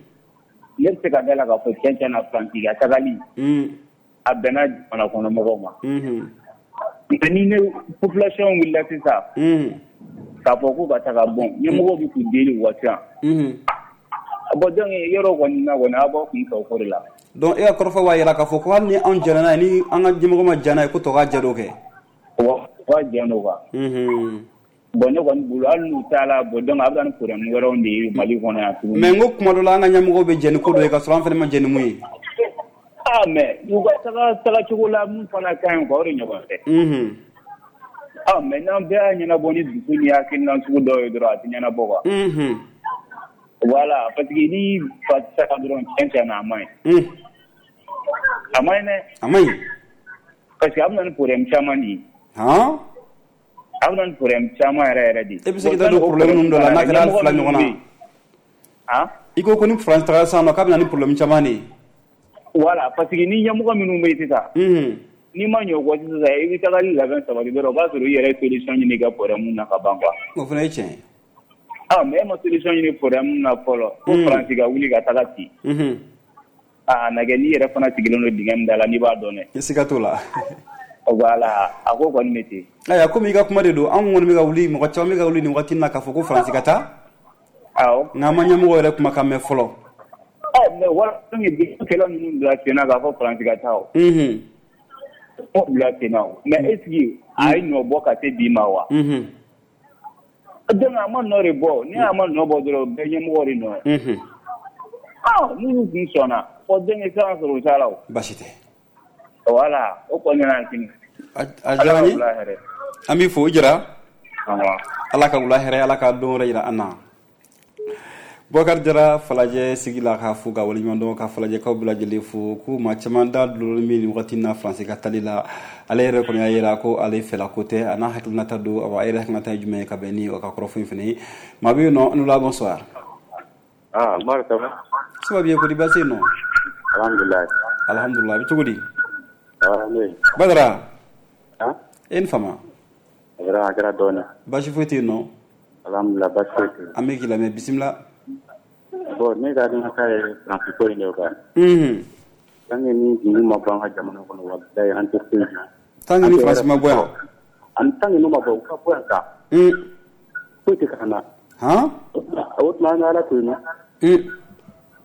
Ne bɛ se ka da la k'a fɔ tiɲɛ tiɲɛ na Faransi ka tagali. Un. A bɛnna jamana kɔnɔ mɔgɔw ma. Unhun. Mais ni ne population wulila sisan. Unhun. K'a fɔ k'u ka taga bon, ɲɛmɔgɔw bɛ k'u deli u ka siran. Unhun. Bon, donc yɔrɔ kɔni na kɔni aw b'aw kun fɛ o ko de la. Donc e ka kɔrɔfɔ b'a jira k'a fɔ ko hali ni anw jɛnna n'a ye, ni an ka ɲɛmɔgɔ ma jɛn n'a ye, ko tɔ ka jɛ dɔ kɛ. Wa wa jɛn don quoi. Unhun. Bon, ne kɔni bolo hali n'u taara bon, donc a bɛ na ni problème wɛrɛw de ye Mali kɔnɔ yan tuguni. Mais n ko kuma dɔ la an ka ɲɛmɔgɔw bɛ jɛn ni ko dɔ ye k'a sɔrɔ an fana ma jɛn ni mun ye. Ah mais u ka taga tagacogo la mun fana ka ɲi quoi, o de ɲɔgɔn tɛ. Unhun. Ah mais n'an bɛɛ y'a ɲɛnabɔ ni dusu ni hakilina sugu dɔw ye dɔrɔn a tɛ ɲɛnabɔ quoi. Unhun. Voilà, parce que ni fa taga dɔrɔn tiɲɛ tiɲɛ na a man ɲi. Un. A man ɲi dɛ. A man ɲi. Parce que a bɛ na ni problème caman de ye. Han? A bɛ na ni problème caman yɛrɛ yɛrɛ de ye. E bɛ se k'i da don problème ninnu dɔ la n'a kɛra hali fila ɲɔgɔn na. Han? I ko ko ni France tagara sisan nɔ k'a bɛ na ni problème caman de ye. Voilà, parce que ni ɲɛmɔgɔ minnu bɛ yen sisan. Unhun. N'i ma ɲɛ o kɔ sisan i bɛ tagali labɛn sabati dɔrɔn o b'a sɔrɔ i yɛrɛ ye solution ɲini i ka problème na ka ban quoi. O fana ye tiɲɛ ye. Ah mais e ma solution ɲini problème na fɔlɔ. Ko Faransi ka wuli ka taga ci. Unhun. Ah na kɛ n'i yɛrɛ fana sigilen don dingɛ min da la n'i b'a dɔn dɛ. Siga t'o la. Voilà, a ko kɔni bɛ ten. Ayiwa, komi i ka kuma de don, anw kɔni bɛ ka wuli, mɔgɔ caman bɛ ka wuli nin waati in na k'a fɔ ko Faransi ka taa. Awɔ. Nka an ma ɲɛmɔgɔ yɛrɛ kumakan mɛn fɔlɔ. Ɔ mais wala bi kɛlɛ ninnu bila sen na k'a fɔ Faransi ka taa o. Unhun. O bila sen na o. Mais est-ce que a ye nɔ bɔ ka se bi ma wa? Unhun. Donc a ma nɔ de bɔ, ni a ma nɔ bɔ dɔrɔn bɛɛ ɲɛmɔgɔ de nɔ ye. Unhun. Ah minnu kun sɔnna, ɔ donc sisan sɔrɔ o t'a la o. Baasi tɛ. Voilà, o kɔni nana sini. A diyara n ye. An b'i fo, i Jara. Ala ka wula hɛrɛ, Ala ka don wɛrɛ yira an na. Boubacar Jara Falajɛ sigi la k'a fo ka waleɲuman dɔn ka Falajɛkaw bɛɛ lajɛlen fo ko maa caman da dulon bɛ nin wagati in na Faransi ka tali la. Ale yɛrɛ kɔni y'a yira ko ale fɛla ko tɛ, a n'a hakilinata don. Awa, a yɛrɛ hakilinata ye jumɛn ye ka bɛn ni o ka kɔrɔfɔ in fana ye. Maa bɛ yen nɔ, an la bonsoir. Ah, Umaru, ça va? Ça va bien, ko di baasi yen nɔ? Alhamdulillah. Alhamdulillah, a bɛ cogo di? Ah, ne. Badara. Ah? E ni fama? A kɛra a kɛra dɔɔnin. Baasi foyi tɛ yen nɔ? Alhamdulillah baasi foyi tɛ yen. An bɛ k'i lamɛn, bisimila. Bon, ne ka hakilinata ye Faransi ko in de kan. Unhun. Tant que ni ninnu ma bɔ an ka jamana kɔnɔ, walahi an tɛ foyi dɔn. Tant que ni Faransi ma bɔ yan. An tant que n'u ma bɔ, u ka bɔ yan kan. Un. Foyi tɛ k'an na. Han? O tuma an ka Ala to yen nɔ. Un.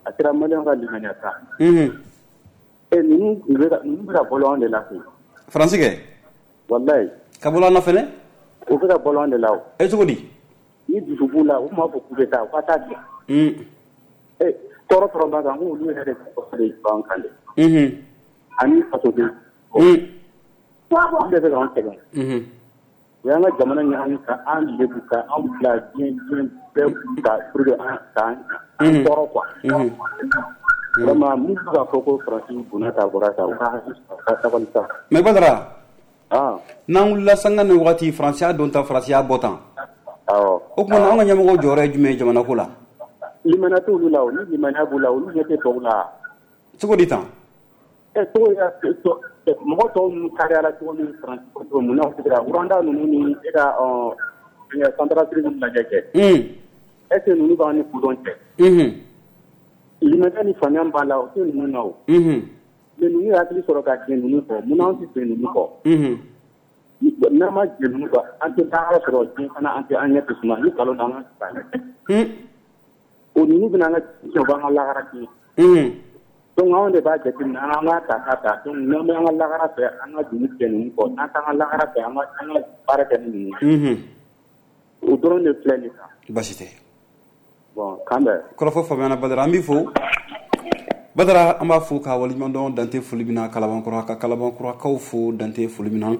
A kɛra maliyɛnw ka limaniya ta. Unhun. E ninnu bɛ ka ninnu bɛ ka balo anw de la koyi. Faransi kɛ? Walahi. Ka balo an na fɛnɛ? U bɛ ka balo an de la o. E cogo di? Ni dusu b'u la, u m'a fɔ k'u bɛ taa, u ka taa kɛ. Un. E tɔɔrɔ tɔɔrɔ b'a kan, n ko olu yɛrɛ de b'an kan dɛ. Unhun. Ani fasoden. Un. Olu de bɛ k'an sɛgɛn. Unhun. U y'an ka jamana ɲagami ka an lebu ka an bila diɲɛ diɲɛ bɛɛ ka pour que an k'an tɔɔrɔ quoi. Unhun. Vraiment min bɛ ka fɔ ko Faransi donna tan a bɔra tan, u ka hakili sɔrɔ, u ka sabali sa. Mais Badara. Ah. N'an wulila sanga ni wagati Faransi y'a don tan, Faransi y'a bɔ tan. Awɔ. O tuma na anw ka ɲɛmɔgɔw jɔyɔrɔ ye jumɛn ye jamana ko la? Limaniya t'olu la o, ni limaniya b'u la, olu ɲɛ tɛ tɔw la. Cogo di tan? Ɛ cogo mɔgɔ tɔw ninnu kariyara cogo min Faransi ko cogo mun na u tɛ se ka Rwanda ninnu ni e ka Centrafrique ninnu lajɛ kɛ. Un. Est ce que ninnu b'an ni kodɔn cɛ? Unhun. Limaniya ni faamuya b'a la, o tɛ ninnu na o. Unhun. Mais ninnu ye hakili sɔrɔ ka jɛ ninnu kɔ, mun na anw tɛ jɛ ninnu kɔ? Unhun. N'an ma jɛ ninnu kɔ, an tɛ taa sɔrɔ diɲɛ fana, an tɛ an ɲɛ tɛ suma ni nkalon n'an ka. Un. O ninnu bɛna an ka tiɲɛ, u b'an ka lahara tiɲɛ. Unhun. Donc anw de b'a jateminɛ, an ka ta ka ta. Donc n'an bɛ an ka lahara fɛ, an ka juru tigɛ ninnu kɔ, n'an t'an ka lahara fɛ, an ka an ka baara kɛ ni ninnu ye. Unhun. O dɔrɔn de filɛ nin kan. Baasi tɛ. Bon, k'an bɛn. Kɔrɔfɔ faamuyana Badara, an b'i fo. Badara, an b'a fo k'a waleɲuman dɔn dante foli min na Kalabankɔrɔ, ka Kalabankɔrɔkaw fo dante foli min na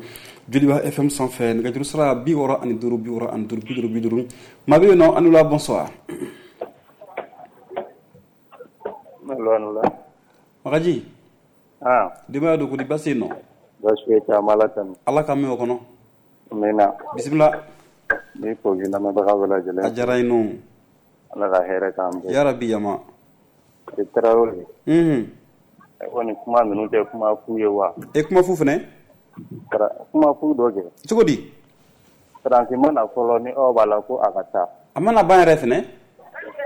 Joliba F M sanfɛ nɛgɛjuru sira bi wɔɔrɔ ani duuru bi wɔɔrɔ ani duuru bi duuru bi duuru. Maa bɛ yen nɔ, an ni wula, bonsoir. Magaji. Ah. Denbaya don ko di, baasi yen nɔ? Baasi foyi tɛ, an b'Ala tanu. Ala k'an mɛn o kɔnɔ. Amina. Bisimila. N b'i fo k'i lamɛnbaga bɛɛ lajɛlen. A diyara n ye nɔ. Ala ka hɛrɛ k'an bɛɛ. Yarabi yama. I Tarawele. Unhun. E kɔni kuma ninnu tɛ kuma fu ye wa? E kuma fu fɛnɛ? Kuma fu dɔ kɛ. Cogo di? Faransi ma na fɔlɔ ni aw b'a la ko a ka taa. A ma na ban yɛrɛ fɛnɛ?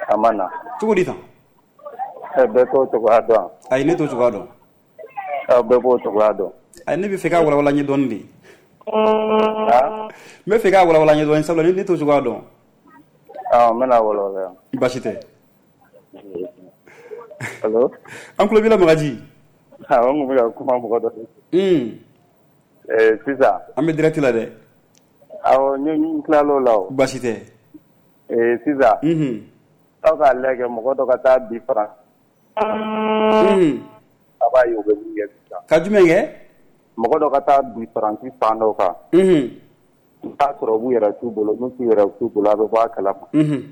A ma na. Cogo di tan? Ɛ bɛɛ t'o cogoya dɔn. Ayi, ne t'o cogoya dɔn. Aw bɛɛ b'o cogoya dɔn. Ayi, ne bɛ fɛ k'a walawala n ye dɔɔnin de. N bɛ fɛ k'a walawala n ye dɔɔnin, sabula ne t'o cogoya dɔn. Awɔ, n bɛna walawala. Baasi tɛ. Allo? An tulo b'i la Magaji. Awɔ, n tun bɛ ka kuma mɔgɔ dɔ de. Un. Ɛɛ sisan. An bɛ direct la dɛ. Awɔ, n tilal'o la o. Baasi tɛ. Ee sisan. Unhun. Aw k'a lajɛ mɔgɔ dɔ ka taa bi Faransi. Unhun. A b'a ye u bɛ min kɛ sisan. Ka jumɛn kɛ? Mɔgɔ dɔ ka taa bi Faransi fan dɔ kan. Unhun. I b'a sɔrɔ u b'u yɛrɛ t'u bolo, n'u t'u yɛrɛ t'u bolo, a bɛ bɔ a kalama. Unhun.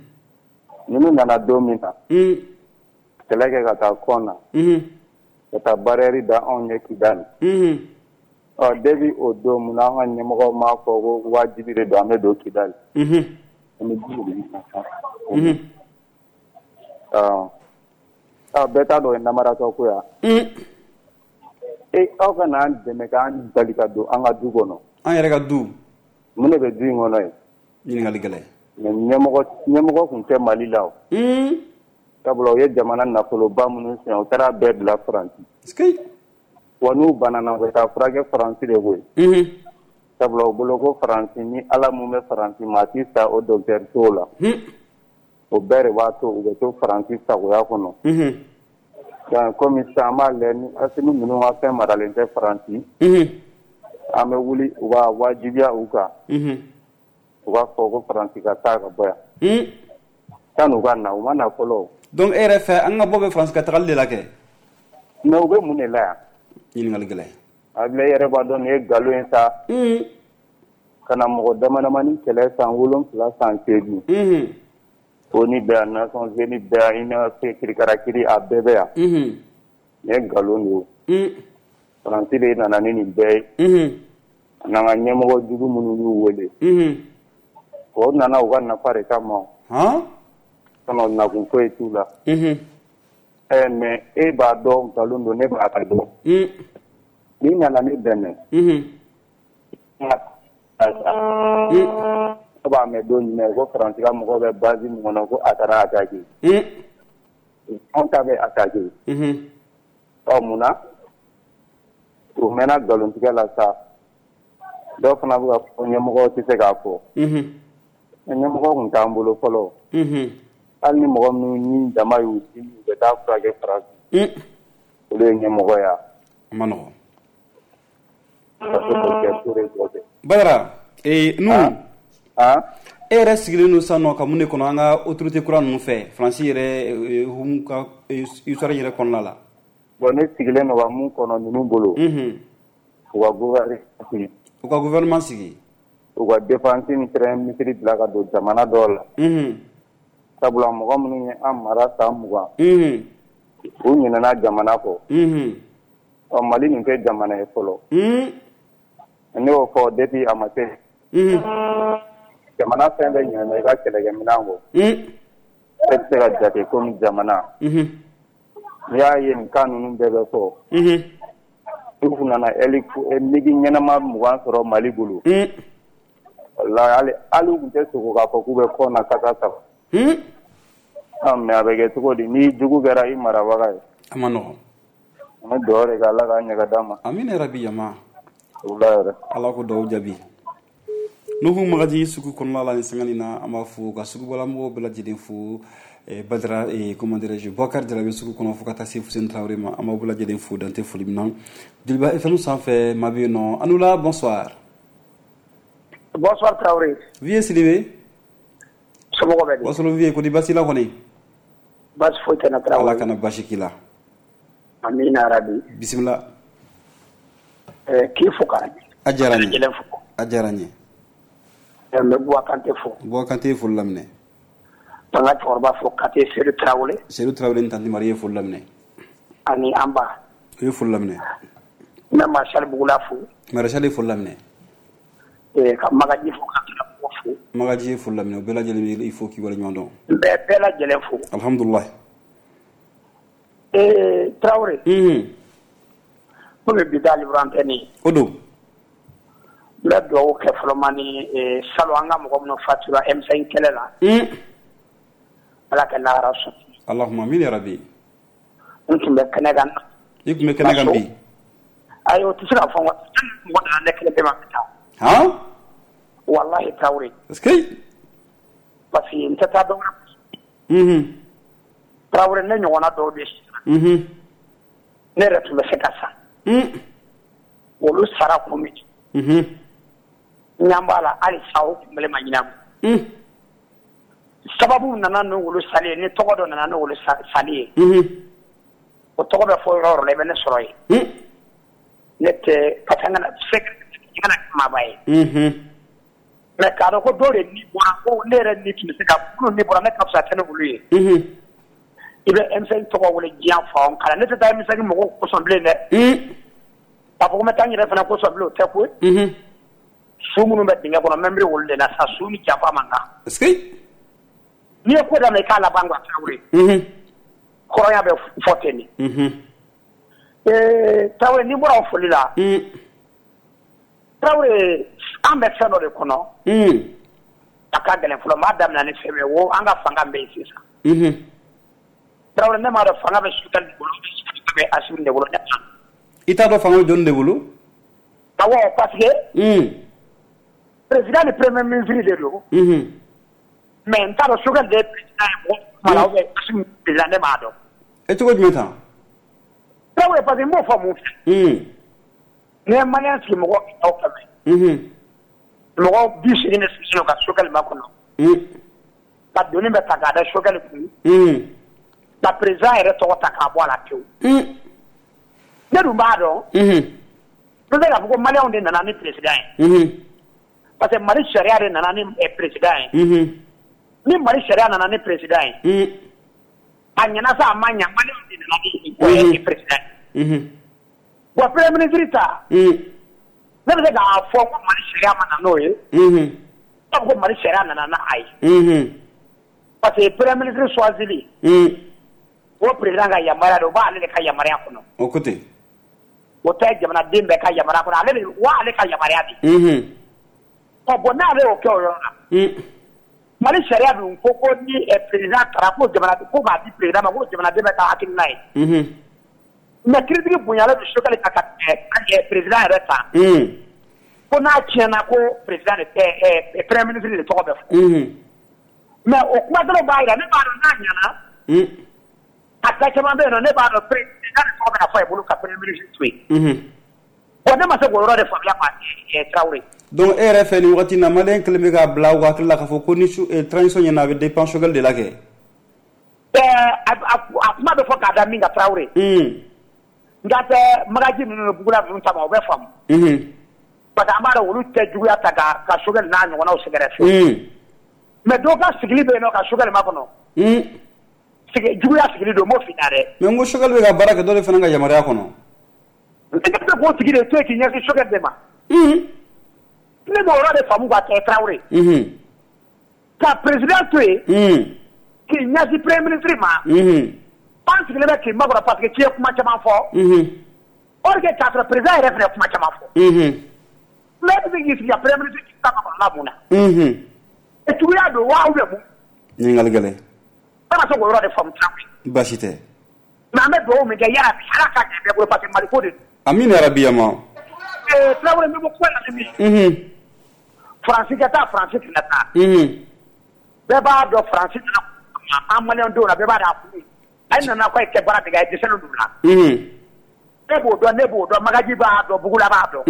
Ninnu nana don min na. Un. Kɛlɛ kɛ ka taa kɔn na. Unhun. Ka taa barrière da anw ɲɛ Kidali. Unhun. Ɔ depuis o don, mun na an ka ɲɛmɔgɔw m'a fɔ ko wajibi de don an bɛ don Kidali. Unhun. An bɛ ji de Unhun. Ɔ aw bɛɛ t'a dɔn o ye namaratɔ ko ya. Un. E aw ka n'an dɛmɛ k'an bali ka don an ka du kɔnɔ. An yɛrɛ ka du. Mun de bɛ du in kɔnɔ yen? Ɲininkali gɛlɛn. Mais ɲɛmɔgɔ ɲɛmɔgɔ tun tɛ Mali la o. Un. Sabula u ye jamana nafoloba minnu suɲɛ, u taara bɛɛ bila Faransi. Wa n'u banana, u bɛ taa furakɛ Faransi de koyi. Unhun. Sabula u bolo ko Faransi ni Ala mun bɛ Faransi, maa t'i sa o docteur sow la. Un. O bɛɛ de b'a to u bɛ to Faransi sagoya kɔnɔ. Unhun. Donc komi sisan an b'a lajɛ ni Asimi ninnu ka fɛn maralen tɛ Faransi. Unhun. An bɛ wuli u b'a wajibiya u kan. Unhun. U b'a fɔ ko Faransi ka taa ka bɔ yan. Un. San'u ka na, u ma na fɔlɔ. Donc e yɛrɛ fɛ, an ka bɔ bɛ Faransi ka tagali de la kɛ? Mais u bɛ mun de la yan? Ɲininkali gɛlɛn. Abilaye yɛrɛ b'a dɔn nin ye nkalon ye sa. Un. Ka na mɔgɔ dama damani kɛlɛ san wolonfila san seegin. Unhun. O N U bɛ yan, Nations Unies bɛ yan, Union africaine kirikarakiri a bɛɛ bɛ yan. Unhun. Nin ye nkalon de ye. Un. Faransi de nana ni nin bɛɛ ye. Unhun. N'an ka ɲɛmɔgɔ jugu minnu y'u wele. Unhun. O nana u ka nafa de kama. Han? Sinon nakun foyi t'u la. Unhun. Ɛ mais e b'a dɔn nkalon don, ne b'a dɔn. Un. N'i nana ne dɛmɛ. Unhun. Ne b'a b'a mɛn don jumɛn ko Faransi ka mɔgɔw bɛ base min kɔnɔ ko a taara attaquer. Anw ta bɛ attaquer. Ɔ mun na u mɛnna nkalontigɛ la sa, dɔw fana bɛ ka fɔ ɲɛmɔgɔw tɛ se k'a fɔ. Ɲɛmɔgɔ tun t'an bolo fɔlɔ. Hali ni mɔgɔ minnu ni jama y'u dimi u bɛ taa furakɛ Faransi. Olu ye ɲɛmɔgɔ ya. A ma nɔgɔn. Badara, ee Nuhu. E yɛrɛ sigilen don sisan nɔ ka mun de kɔnɔ an ka autorité kura ninnu fɛ Faransi yɛrɛ hukumu ka histoire yɛrɛ kɔnɔna la. Bon ne sigilen don ka mun kɔnɔ ninnu bolo. U ka gouvernement sigi. U ka gouvernement sigi. U ka défense ni premier ministre bila ka don jamana dɔw la. Sabula mɔgɔ minnu ye an mara san mugan. U ɲinɛna jamana kɔ. Ɔ Mali nin tɛ jamana ye fɔlɔ. Ne y'o fɔ depuis a ma se. Jamana fɛn bɛɛ ɲinɛna i ka kɛlɛkɛminɛn kɔ. E tɛ se ka jate komi jamana. N'i y'a ye nin cas ninnu bɛɛ bɛ fɔ. U nana migi ɲɛnama mugan sɔrɔ Mali bolo. Walahi hali u tun tɛ sogo k'a fɔ k'u bɛ kɔ na kasa saba. Mais a bɛ kɛ cogo di ni jugu kɛra i marabaga ye. A ma nɔgɔn. An bɛ dugawu de kɛ Ala k'a ɲɛ ka d'an ma. Amina yarabi jama. Wula yɛrɛ. Ala ko dugawu jaabi. Nuhu Magaji sugu kɔnɔna la ni sanga nin na an b'a fo ka sugubalamɔgɔw bɛɛ lajɛlen fo. Badara comment dirais-je Boubacar Jara bɛ sugu kɔnɔ fo ka taa se Fuseni Traoré ma an b'aw bɛɛ lajɛlen fo dan tɛ foli min na. Joliba F M sanfɛ maa bɛ yen nɔ Anoula bonsoir. Bonsoir Traoré. Vieux Sidibé. Somɔgɔw bɛ di? Wasolo Vieux ko di baasi la kɔni? Baasi foyi tɛ n na Traoré. Ala kana baasi k'i la. Amina yarabi. Bisimila. Ɛɛ k'i fo ka. A diyara n ye. A diyara n ye. N bɛ Buwa Kante fo. Buwa Kante ye foli laminɛ. An ka cɛkɔrɔba fo Kante Seydou Traoré. Seydou Traoré ni Tanti Marie ye foli laminɛ. Ani an ba. U ye foli laminɛ. N bɛ Maréchal Bugula fo. Maréchal ye foli laminɛ. Ka Magaji fo ka Tirabugu fo. Magaji ye foli laminɛ u bɛɛ lajɛlen b'i fo k'i waleɲuman dɔn. N bɛ bɛɛ lajɛlen fo. Alhamdulilayi. Ee Traoré. Unhun. Komi bi ta libre antenne ye. O don. N bɛ dugawu kɛ fɔlɔ ma ni salon an ka mɔgɔ minnu fatura M cinq kɛlɛ la. Ala ka lahara sɔn. Allahumma amin ya rabbi. N tun bɛ kɛnɛ kan. I tun bɛ kɛnɛ kan bi. Ayi o tɛ se ka fɔ n mɔgɔ nana ne kelen pe ma ka taa. Han? Wallahi Traoré. Est-ce que. Parce que n tɛ taa dɔ wɛrɛ. Unhun. Traoré ne ɲɔgɔnna dɔw de sara. Unhun. Ne yɛrɛ tun bɛ se ka sa. Un. Olu sara kun min. Unhun. N ɲɛ b'a la hali sa o kunbɛli ma ɲin'a bolo. Un. Sababu nana n'olu sali ye ni tɔgɔ dɔ nana n'olu sali ye. Unhun. O tɔgɔ bɛ fɔ yɔrɔ o yɔrɔ la i bɛ ne sɔrɔ yen. Un. Ne tɛ parce que n kana se n kana kɛ maaba ye. Unhun. Mais k'a dɔn ko dɔw de ni bɔra ko ne yɛrɛ ni tun bɛ se ka minnu ni bɔra ne ka fisa tɛ ne olu ye. Unhun. I bɛ M cinq tɔgɔ wele diɲɛ fan o fan ne tɛ taa M cinq mɔgɔw kosɔn bilen dɛ. Un. K'a fɔ ko n bɛ taa n yɛrɛ fana kosɔn bilen o tɛ koyi. Unhun. Su minnu bɛ dingɛ kɔnɔ n bɛ miiri olu de la sa su ni janfa man kan. Est-ce que. N'i ye ko daminɛ i k'a laban quoi Traoré. Unhun. Hɔrɔnya bɛ fɔ ten de. Unhun. Ee Traoré n'i bɔra o foli la. Un. Traoré an bɛ fɛn dɔ de kɔnɔ. Un. A ka gɛlɛn fɔlɔ n b'a daminɛ ni fɛn min ye wo an ka fanga bɛ yen sisan. Unhun. Traoré ne m'a dɔn fanga bɛ Choguel de bolo fanga bɛ Assimi de bolo ne t'a dɔn. I t'a dɔn fanga bɛ jɔnni de bolo? Awɔ parce que. Un. Président ni premier ministre de don. Unhun. Mais n t'a dɔn Choguel de ye président ye mɔgɔ kuma la ou bien Assimi président ne m'a dɔn. E cogo jumɛn tan? Traoré parce que n b'o fɔ mun fɛ. Un. N'i ye malien sigi mɔgɔ kɛmɛ o kɛmɛ. Unhun. Mɔgɔ bi seegin de sigilen don ka Choguel makɔnɔ. Un. Ka doni bɛɛ ta k'a da Choguel kun. Un. Ka président yɛrɛ tɔgɔ ta k'a bɔ a la pewu. Un. Ne dun b'a dɔn. Unhun. N bɛ se k'a fɔ ko maliyɛnw de nana ni président ye. Unhun. Parce que Mali sariya de nana ni président ye. Unhun. Ni Mali sariya nana ni président ye. Un. A ɲɛna sa a ma ɲa maliyɛnw de nana ni président ye. Unhun. Bon premier ministre ta. Un. Ne bɛ se k'a fɔ ko Mali sariya ma na n'o ye. Unhun. Ne b'a fɔ ko Mali sariya nana n'a ye. Unhun. Parce que premier ministre choisili. Un. O président ka yamaruya don o b'ale de ka yamaruya kɔnɔ. O ko ten. O tɛ jamanaden bɛɛ ka yamaruya kɔnɔ ale de wa ale ka yamaruya de. Unhun. Ɔ bon n'ale y'o kɛ o yɔrɔ la. Mali sariya dun ko ko ni président taara ko jamana ko b'a di président ma ko jamanaden bɛ ka hakilina ye. Mais critique bonyalen don Choguel kan ka tɛmɛ président yɛrɛ kan. Ko n'a tiɲɛna ko président de tɛ premier ministre de tɔgɔ bɛ fɔ. Mais o kuma dɔrɔn b'a jira ne b'a dɔn n'a ɲɛna. A da caman bɛ yen nɔ ne b'a dɔn président de tɔgɔ bɛna fɔ a bolo ka premier ministre to yen. Bon ne ma se k'o yɔrɔ de faamuya quoi Tarawele. Donc e yɛrɛ fɛ nin wagati in na maliyɛn kelen bɛ k'a bila u hakili la k'a fɔ ko ni transition ɲɛna a bɛ dépend Choguel de la kɛ. Ɛɛ a kuma bɛ fɔ k'a da min kan Tarawele. Nka tɛ Magaji ninnu ni Bugula ninnu ta ma o bɛ faamu. Parce que an b'a dɔn olu tɛ juguya ta ka ka Choguel n'a ɲɔgɔnnaw sɛgɛrɛ fiyewu. Mais dɔw ka sigili bɛ yen nɔ ka Choguel makɔnɔ. Sigi juguya sigili don n b'o f'i ɲɛna dɛ. Mais n ko Choguel bɛ ka baara kɛ dɔ de fana ka yamaruya kɔnɔ. Ne bɛ k'o tigi de to yen k'i ɲɛsin Choguel de ma. Ne b'o yɔrɔ de faamu ka kɛ Tarawele. Ka président to yen. K'i ɲɛsin premier ministre ma. An sigilen bɛ k'i makɔnɔ parce que k'i ye kuma caman fɔ. Or que k'a sɔrɔ président yɛrɛ fana ye kuma caman fɔ. Mais e bɛ se k'i sigi ka premier ministre ta makɔnɔla mun na. Juguya don wa ou bien mun. Ɲininkali gɛlɛn. Ne ma se k'o yɔrɔ de faamu Tarawele. Baasi tɛ. Mais an bɛ dugawu min kɛ yarabi Ala k'a kɛ bɛɛ bolo parce que Mali ko de don. Amina yarabi yama. Ee Tarawele n bɛ bɔ kuma la ni min ye. Faransi ka taa Faransi kana taa. Bɛɛ b'a dɔn Faransi nana an maliyɛn denw na bɛɛ b'a dɔn a kun. A nana k'a ye kɛ baara min kɛ a ye dɛsɛlen don la. Ne b'o dɔn ne b'o dɔn Magaji b'a dɔn Bugula b'a dɔn.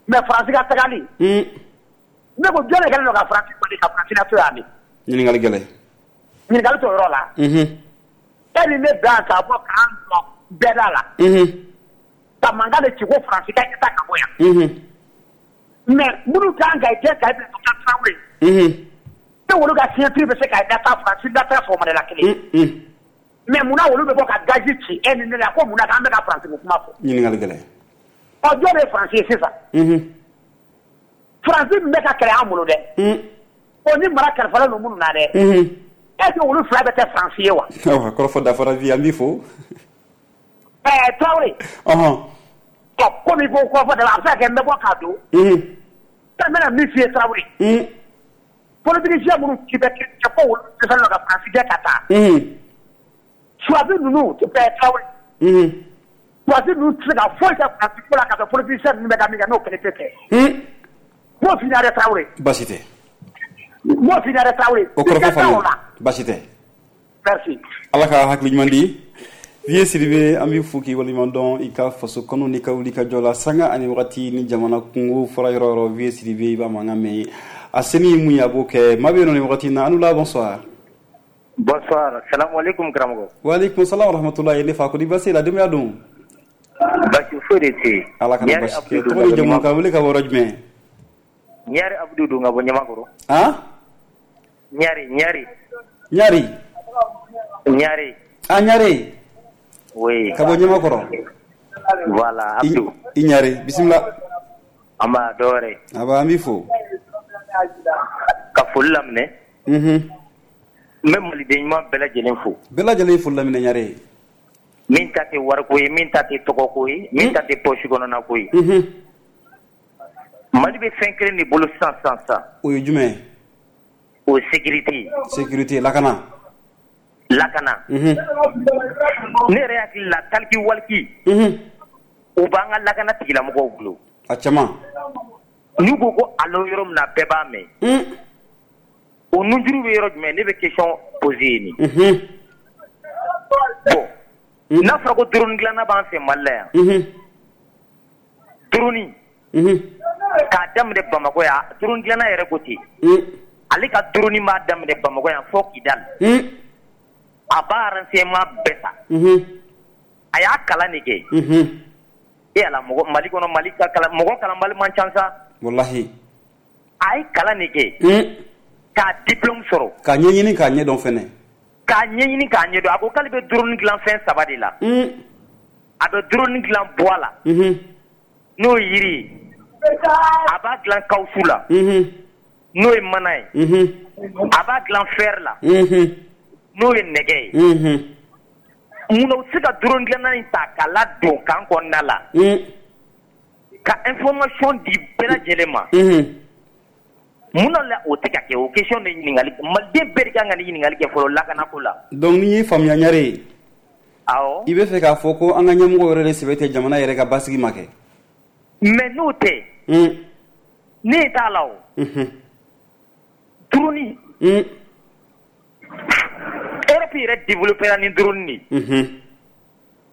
Mais Faransi ka tagali. Ne ko jɔn de kɛlen don ka Faransi bali ka Faransi lato yan de. Ɲininkali gɛlɛn. Ɲininkali t'o yɔrɔ la. E ni ne bɛn k'a bɔ k'an jɔ bɛɛ da la. Ka mankan de ci ko Faransi ka taa ka bɔ yan. Mais minnu kan ka kɛ ka bila ka Tarawele. Ne olu ka signature bɛ se ka data Faransi data sɔgɔmada la kelen. Mais munna olu bɛ bɔ ka gazi ci e ni ne la ko munna k'an bɛ ka Faransi ko kuma fɔ. Ɲininkali gɛlɛn. Ɔ jɔn de ye Faransi ye sisan. Faransi min bɛ ka kɛlɛ an bolo dɛ. O ni mara kalifalen don minnu na dɛ. Est-ce que olu fila bɛ kɛ Faransi ye wa. Ayiwa kɔrɔfɔ dafara bi an b'i fo. Ɛɛ Tarawele. Ɔhɔn. Ɔ komi i ko kɔrɔfɔ dafara a bɛ se ka kɛ n bɛ bɔ k'a don. N bɛna min f'i ye Tarawele. Politicien minnu ci bɛ kɛ ko olu dɛsɛlen don ka Faransi gɛn ka taa. Suwazi ninnu ɛɛ Tarawele. Suwazi ninnu tɛ se ka foyi kɛ Faransi ko la ka sɔrɔ politicien ninnu bɛ ka min kɛ n'o kelen tɛ kɛ. N b'o f'i ɲɛna dɛ Tarawele. Baasi tɛ. N b'o f'i ɲɛna dɛ Tarawele. O kɔrɔfɔ faamu baasi tɛ. Merci. Ala ka hakili ɲuman di. Vieux Sidibe an b'i fo k'i waleɲuman dɔn i ka faso kanu n'i ka wuli ka jɔ la sanga ani wagati ni jamana kungo fɔra yɔrɔ yɔrɔ Vieux Sidibe i b'a mankan mɛn a se min ye mun ye a b'o kɛ maa bɛ yen nɔ nin wagati in na an la bonsoir. Bonsoir salamu aleykum karamɔgɔ. Wa aleykum salam wa rahmatulahi ne fa ko di baasi la denbaya dun. Baasi foyi de tɛ yen. Ala kana baasi kɛ tɔgɔ ni jamu ka wele ka bɔ yɔrɔ jumɛn. Ɲare Abdou don ka bɔ Ɲamakɔrɔ. Han. Ɲare Ɲare. Ɲare. Ɲare. Ah Ɲare. Oui. Ka bɔ Ɲamakɔrɔ. Voilà Abdou. I Ɲare bisimila. An b'a dɔ wɛrɛ. Aba an b'i fo. Ka foli laminɛ. Unhun. N bɛ maliden ɲuman bɛɛ lajɛlen fo. Bɛɛ lajɛlen foli laminɛ Ɲare. Min ta tɛ wariko ye min ta tɛ tɔgɔko ye min ta tɛ poche kɔnɔna ko ye. Unhun. Mali bɛ fɛn kelen de bolo sisan sisan sisan. O ye jumɛn ye? O ye sécurité. Sécurité lakana. Lakana. Unhun. Ne yɛrɛ hakili la taliki waliki. Unhun. O b'an ka lakana tigilamɔgɔw bolo. A caman. N'u ko ko alo yɔrɔ min na bɛɛ b'a mɛn. Un. O nunjuru bɛ yɔrɔ jumɛn ne bɛ question poser yen nin. Unhun. Bon. N'a fɔra ko drone dilanna b'an fɛ Mali la yan. Unhun. Drone. Unhun. K'a daminɛ Bamakɔ yan drone dilanna yɛrɛ ko ten. Un. Ale ka drone b'a daminɛ Bamakɔ yan fo Kidali. Un. A b'a renseignement bɛɛ ta. Unhun. A y'a kalan de kɛ. Unhun. E ala mɔgɔ Mali kɔnɔ Mali ka kalan mɔgɔ kalanbali man ca sa. Walahi. A ye kalan de kɛ. Un. K'a diplôme sɔrɔ. K'a ɲɛɲini k'a ɲɛdɔn fɛnɛ. K'a ɲɛɲini k'a ɲɛdɔn a ko k'ale bɛ drone dilan fɛn saba de la. Un. A bɛ drone dilan bois la. Unhun. N'o ye yiri ye. A b'a dilan caoutchouc la. Unhun. N'o ye mana ye. Unhun. A b'a dilan fer la. Unhun. N'o ye nɛgɛ ye. Unhun. Munna u tɛ se ka drone dilanna in ta k'a ladon camp kɔnɔna la. Un. Ka information di bɛɛ lajɛlen ma. Unhun. Mun na o tɛ ka kɛ? O question de ɲininkali, maliden bɛɛ de kan ka nin ɲininkali kɛ fɔlɔ lakanako la. Donc n'i ye faamuya ɲare ye, awɔ, i bɛ fɛ k'a fɔ ko an ka ɲɛmɔgɔ yɛrɛ de sɛbɛ tɛ jamana yɛrɛ ka basigi ma kɛ. Mais n'o tɛ, ne t'a la o. Drone, Europe yɛrɛ développé ni drone de ye.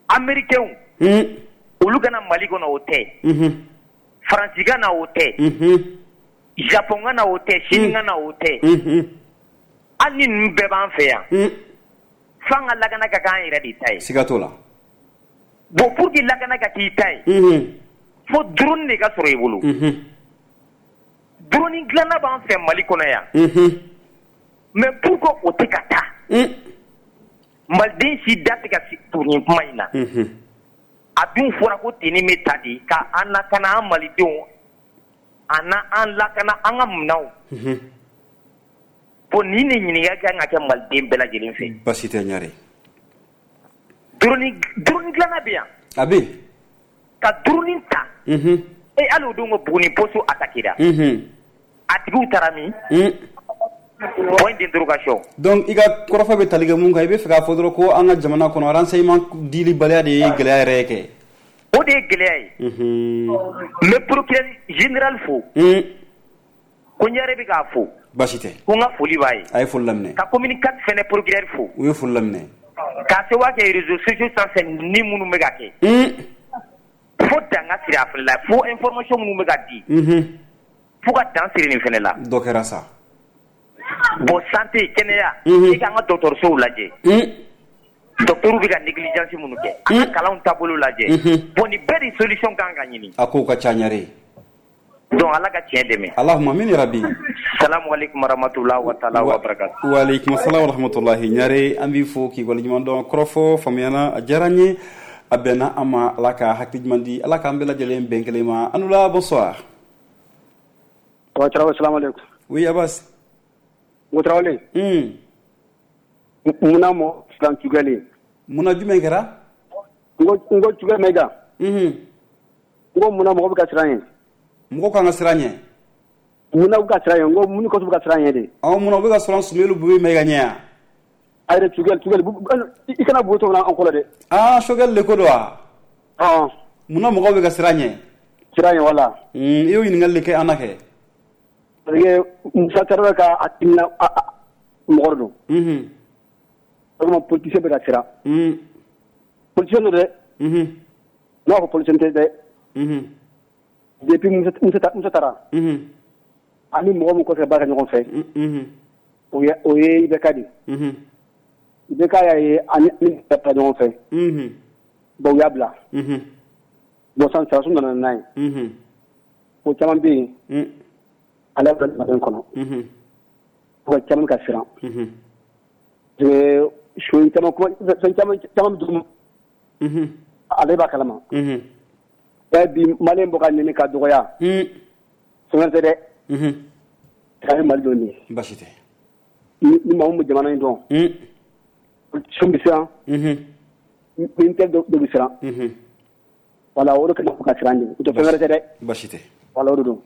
Américains, olu ka na Mali kɔnɔ, o tɛ. Faransi ka na, o tɛ. Japon ka na, o tɛ. Chine ka na, o tɛ. Hali ni ninnu bɛɛ b'an fɛ yan, f'an ka lakana ka k'an yɛrɛ de ta ye. Siga t'o la. Bon, pour que lakana ka k'i ta ye, fo drone de ka sɔrɔ i bolo. Drone dilanna b'an fɛ Mali kɔnɔ yan. Mais pourquoi o tɛ ka taa? Maliden si da tɛ ka to nin kuma in na. A dun fɔra ko tenue bɛ ta de ka an lakana, an malidenw, a n'an lakana an ka minɛnw. Bon, nin de ɲininkali kan ka kɛ maliden bɛɛ lajɛlen fɛ. Basi tɛ ɲare. Drone drone dilanna bɛ yan. A bɛ yen. Ka drone ta. E hali o don ko Buguni poste attaqué ra. A tigiw taara min? Point d'interrogation. Donc i ka kɔrɔfɔ bɛ tali kɛ mun kan? I bɛ fɛ k'a fɔ dɔrɔn ko an ka jamana kɔnɔ, renseignement dilibaliya de ye gɛlɛya yɛrɛ kɛ. O de ye gɛlɛya ye. N bɛ procureur général fo. Ko n yɛrɛ bɛ k'a fo. Basi tɛ. Ko n ka foli b'a ye. A ye foli laminɛ. Ka commune quatre fɛnɛ procureur fo. U ye foli laminɛ. K'a sababu kɛ réseaux sociaux sanfɛ ni minnu bɛ ka kɛ. Fo dan ka siri a fɛnɛ la, fo information minnu bɛ ka di. Fo ka dan siri nin fɛnɛ la. Dɔ kɛra sa. Bon, santé, kɛnɛya, i k'an ka dɔgɔtɔrɔsow lajɛ. Docteur bɛ ka négligence minnu kɛ, an ka kalanw taabolo lajɛ. Bon, nin bɛɛ de solution kan ka ɲini. A kow ka ca ɲare. Donc Ala ka tiɲɛ dɛmɛ. Allahumma amin ya rabbi. Salamu alaikum warahmatullahi wa ta'ala wa barakatuh. Wa alaikum assalam wa rahmatullahi. Ɲare, an b'i fo k'i waleɲuman dɔn. Kɔrɔfɔ faamuyana, a diyara n ye. A bɛnna an ma. Ala ka hakili ɲuman di. Ala k'an bɛɛ lajɛlen bɛn kelen ma. Anula, bonsoir. Wa salamu alaikum. Oui, Abbas. Ngo Tarawele. Un. Munna mɔ siran Choguel? Munna jumɛn kɛra? N ko n ko Choguel Maïga. Unhun. N ko munna mɔgɔ bɛ ka siran ɲɛ? Mɔgɔ kan ka siran ɲɛ? Munna u ka siran ɲɛ? N ko mun kɔsɔn bɛ ka siran ɲɛ de? Awɔ, munna u bɛ ka siran Soumeylou Boubèye Maïga ɲɛ yan? A yɛrɛ Choguel Choguel i kana bo to an kɔrɔ dɛ. Ah, Choguel de ko don wa? Ɔn. Munna mɔgɔw bɛ ka siran ɲɛ? Siran ɲɛ wala. Un, i y'o ɲininkali de kɛ an na kɛ. Parce que Musa Tarawele ka a timina mɔgɔ don. Unhun. O tuma politicien bɛ ka siran. Un. Politicien don dɛ. Unhun. N'a fɔ politicien tɛ dɛ. Unhun. Depuis Musa Musa taara. Unhun. Ani mɔgɔ min kɔfɛ baara kɛ ɲɔgɔn fɛ. Unhun. O ye o ye I B K de. Unhun. I B K y'a ye ani ni ta ɲɔgɔn fɛ. Unhun. Bon, u y'a bila. Unhun. Bon, sisan sɔrɔdasiw nana n'a ye. Unhun. O caman bɛ yen. Un. Ale bɛ mali kɔnɔ. Unhun. O caman ka siran. Unhun. Parce que caman fɛn caman caman bɛ dugu. Unhun. Ale b'a kalama. Unhun. Ɛ bi Malien bɔ ka nɛni ka dɔgɔya. Un. Fɛn tɛ dɛ. Unhun. A ye Mali dɔn nin ye. Basi tɛ. Ni ni maa min bɛ jamana in dɔn. Un. Politicien bɛ siran. Unhun. Militaire dɔ bɛ siran. Unhun. Voilà, o de kama ka siran ɲɛ. O tɛ fɛn wɛrɛ tɛ dɛ. Basi tɛ. Voilà, o de don.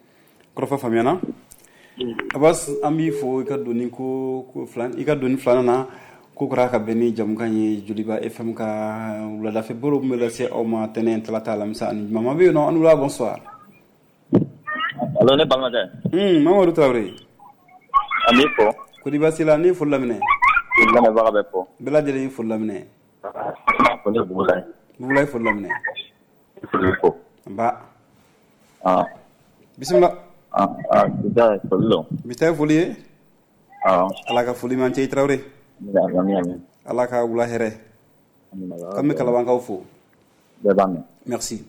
Kɔrɔfɔ faamuyana. Abbas, an b'i fo i ka doni ko ko filan i ka doni filanan na ko kɛra ka bɛn ni jamukan ye Joliba F M ka wuladafɛ baro min bɛ lase aw ma tɛnɛn, talata, alamisa ani juma. Ma bɛ yen nɔ, an wula, bonsoir. Allo, ne balimakɛ. Un, Mamadu Tarawele. An b'i fo. Kodi baasi la? Ne ye foli laminɛ. I lamɛnbaga bɛ fo. Bɛɛ lajɛlen ye foli laminɛ. Ko ne Bugula ye. Bugula ye foli laminɛ. Foli fo. Nba. Ah. Bisimila. Ah, ah, bi ta ye foli don. Bi ta ye foli ye? Awɔ. Ala ka foli man cɛ i Tarawele. Ami ami. Ala ka wula hɛrɛ. K'an bɛ Kalabankaw fo. Bɛɛ b'a mɛn. Merci.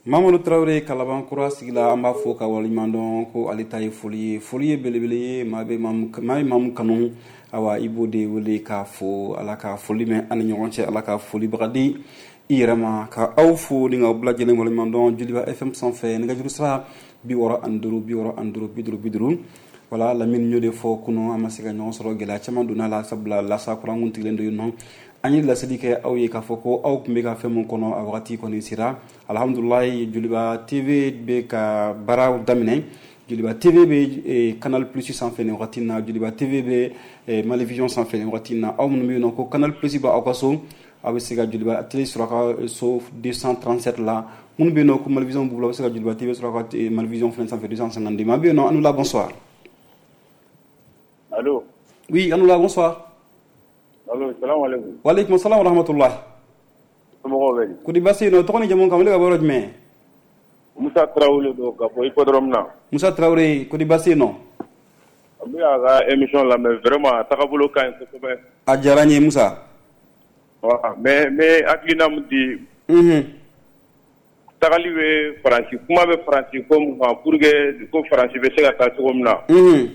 Mamadu Tarawele Kalabankura sigila, an b'a fo ka waleɲuman dɔn ko ale ta ye foli ye. Foli ye belebele ye, maa bɛ maa ye maa min kanu, awa i b'o de wele k'a fo. Ala ka foli mɛn an ni ɲɔgɔn cɛ, Ala ka folibaga di i yɛrɛ ma. Ka aw fo ni k'aw bɛɛ lajɛlen waleɲuman dɔn Joliba F M sanfɛ, nɛgɛjuru sira bi wɔɔrɔ ani duuru bi wɔɔrɔ ani duuru bi duuru bi duuru. Wala Lamini y'o de fɔ kunun, an ma se ka ɲɔgɔn sɔrɔ, gɛlɛya caman donna la, sabula lasa kuran kun tigɛlen don yen nɔ. An ye laseli kɛ aw ye k'a fɔ ko aw tun bɛ ka fɛn mun kɔnɔ, a wagati kɔni sera. Alhamdulilayi, Joliba T V bɛ ka baaraw daminɛ. Joliba T V bɛ Canal Plus sanfɛ nin wagati in na, Joliba T V bɛ Mali Vision sanfɛ nin wagati in na. Aw minnu bɛ yen nɔ ko Canal Plus b'aw ka so, aw bɛ se ka Joliba T V sɔrɔ a ka so deux cent trente-sept la. Minnu bɛ yen nɔ ko Mali Vision b'u bolo, aw bɛ se ka Joliba T V sɔrɔ a ka Mali Vision fɛnɛ sanfɛ deux cent cinquante-deux. Maa bɛ yen nɔ, Anoula, bonsoir. Allo. Oui, Anoula, bonsoir. Allo, salam alaikum. Wa alaikum salam wa rahmatullah. Somɔgɔw bɛ di? Ko di baasi yen nɔ, tɔgɔ ni jamu kan wele ka bɔ yɔrɔ jumɛn? Musa Traoré don ka bɔ Hippodrome na. Musa Traoré, ko di baasi yen nɔ? An bɛ a ka émission lamɛn, vraiment a tagabolo ka ɲi kosɛbɛ. A diyara n ye Musa. Voilà, mais n bɛ hakilina min di. Unhun. Tagali bɛ Faransi, kuma bɛ Faransi ko mun kan pour que ko Faransi bɛ se ka taa cogo min na. Unhun.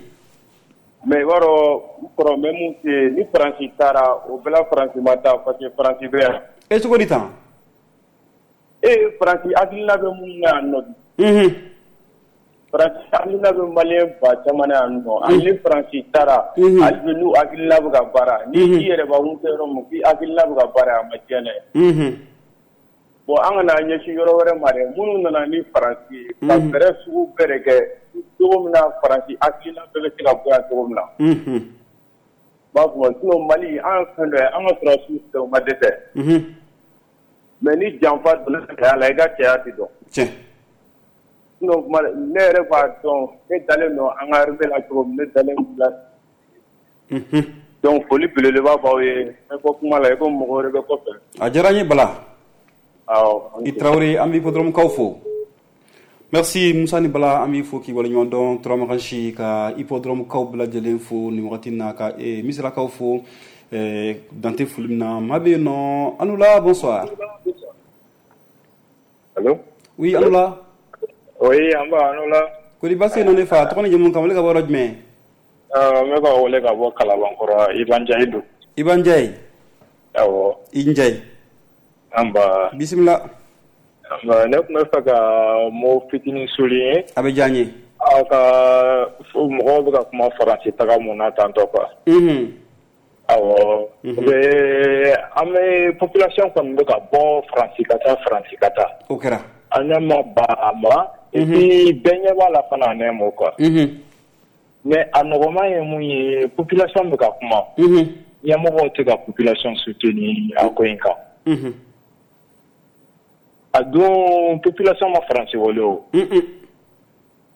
Mais i b'a dɔn n kɔrɔ, n bɛ mun f'i ye, ni Faransi taara o bɛɛ la Faransi ma taa parce que Faransi bɛ yan. E cogo di tan? E Faransi hakilina bɛ mun na yan nɔ bi. Unhun. Faransi hakilina bɛ maliyɛn ba caman na yan nɔ. Hali ni Faransi taara. Unhun. Hali bi n'u hakilina bɛ ka baara. Ni i yɛrɛ b'a kun kɛ yɔrɔ min k'i hakilina bɛ ka baara, a ma diɲɛ dɛ. Unhun. Bon, an kana ɲɛsin yɔrɔ wɛrɛ ma dɛ, minnu nana ni Faransi ye ka fɛɛrɛ sugu bɛɛ de kɛ cogo min na Faransi hakilina bɛɛ bɛ se ka bɔ yan cogo min na. Unhun. N b'a fɔ sinon Mali an ye fɛn dɔ ye, an ka sɔrɔdasiw filɛ, u ma dɛsɛ. Unhun. Mais ni janfa donna cɛya la, i ka cɛya tɛ dɔn. Tiɲɛ. Sinon kuma ne yɛrɛ b'a dɔn, ne dalen don an ka armée la cogo min, ne dalen don la. Unhun. Donc foli belebeleba b'aw ye, n bɛ bɔ kuma la i ko mɔgɔ wɛrɛ bɛ kɔfɛ. A diyara n ye Bala. Awɔ. I Traoré, an bɛ Hippodrome kaw fo. Merci Musa ni Bala, an b'i fo k'i waleɲuman dɔn. Turamakansi ka Hippodrome kaw bɛɛ lajɛlen fo nin wagati in na, ka Misirakaw fo dante foli min na. Maa bɛ yen nɔ, Anoula, bonsoir. Allo. Oui, Anoula. Oui, an b'a Anoula. Ko di baasi yen nɔ ne fa, tɔgɔ ni jamu kan wele ka bɔ yɔrɔ jumɛn? N bɛ ka wele ka bɔ Kalabankɔrɔ, Iba Njayi don. Iba Njayi. Awɔ. I Njayi. An ba. Bisimila. Ne tun bɛ fɛ ka mot fitinin souligner. A bɛ diya n ye. Aw ka mɔgɔw bɛ ka kuma Faransi taga mun na tantɔ quoi. Unhun. Awɔ. Bɛ an bɛ population kɔni bɛ ka bɔ Faransi ka taa, Faransi ka taa. O kɛra. An ɲɛ ma ba a ma. Et puis bɛɛ ɲɛ b'a la fana en un mot quoi. Unhun. Mais a nɔgɔman ye mun ye, population bɛ ka kuma. Unhun. Ɲɛmɔgɔw tɛ ka population soutenir a ko in kan. Unhun. A don population ma Faransi wele o. Unhun.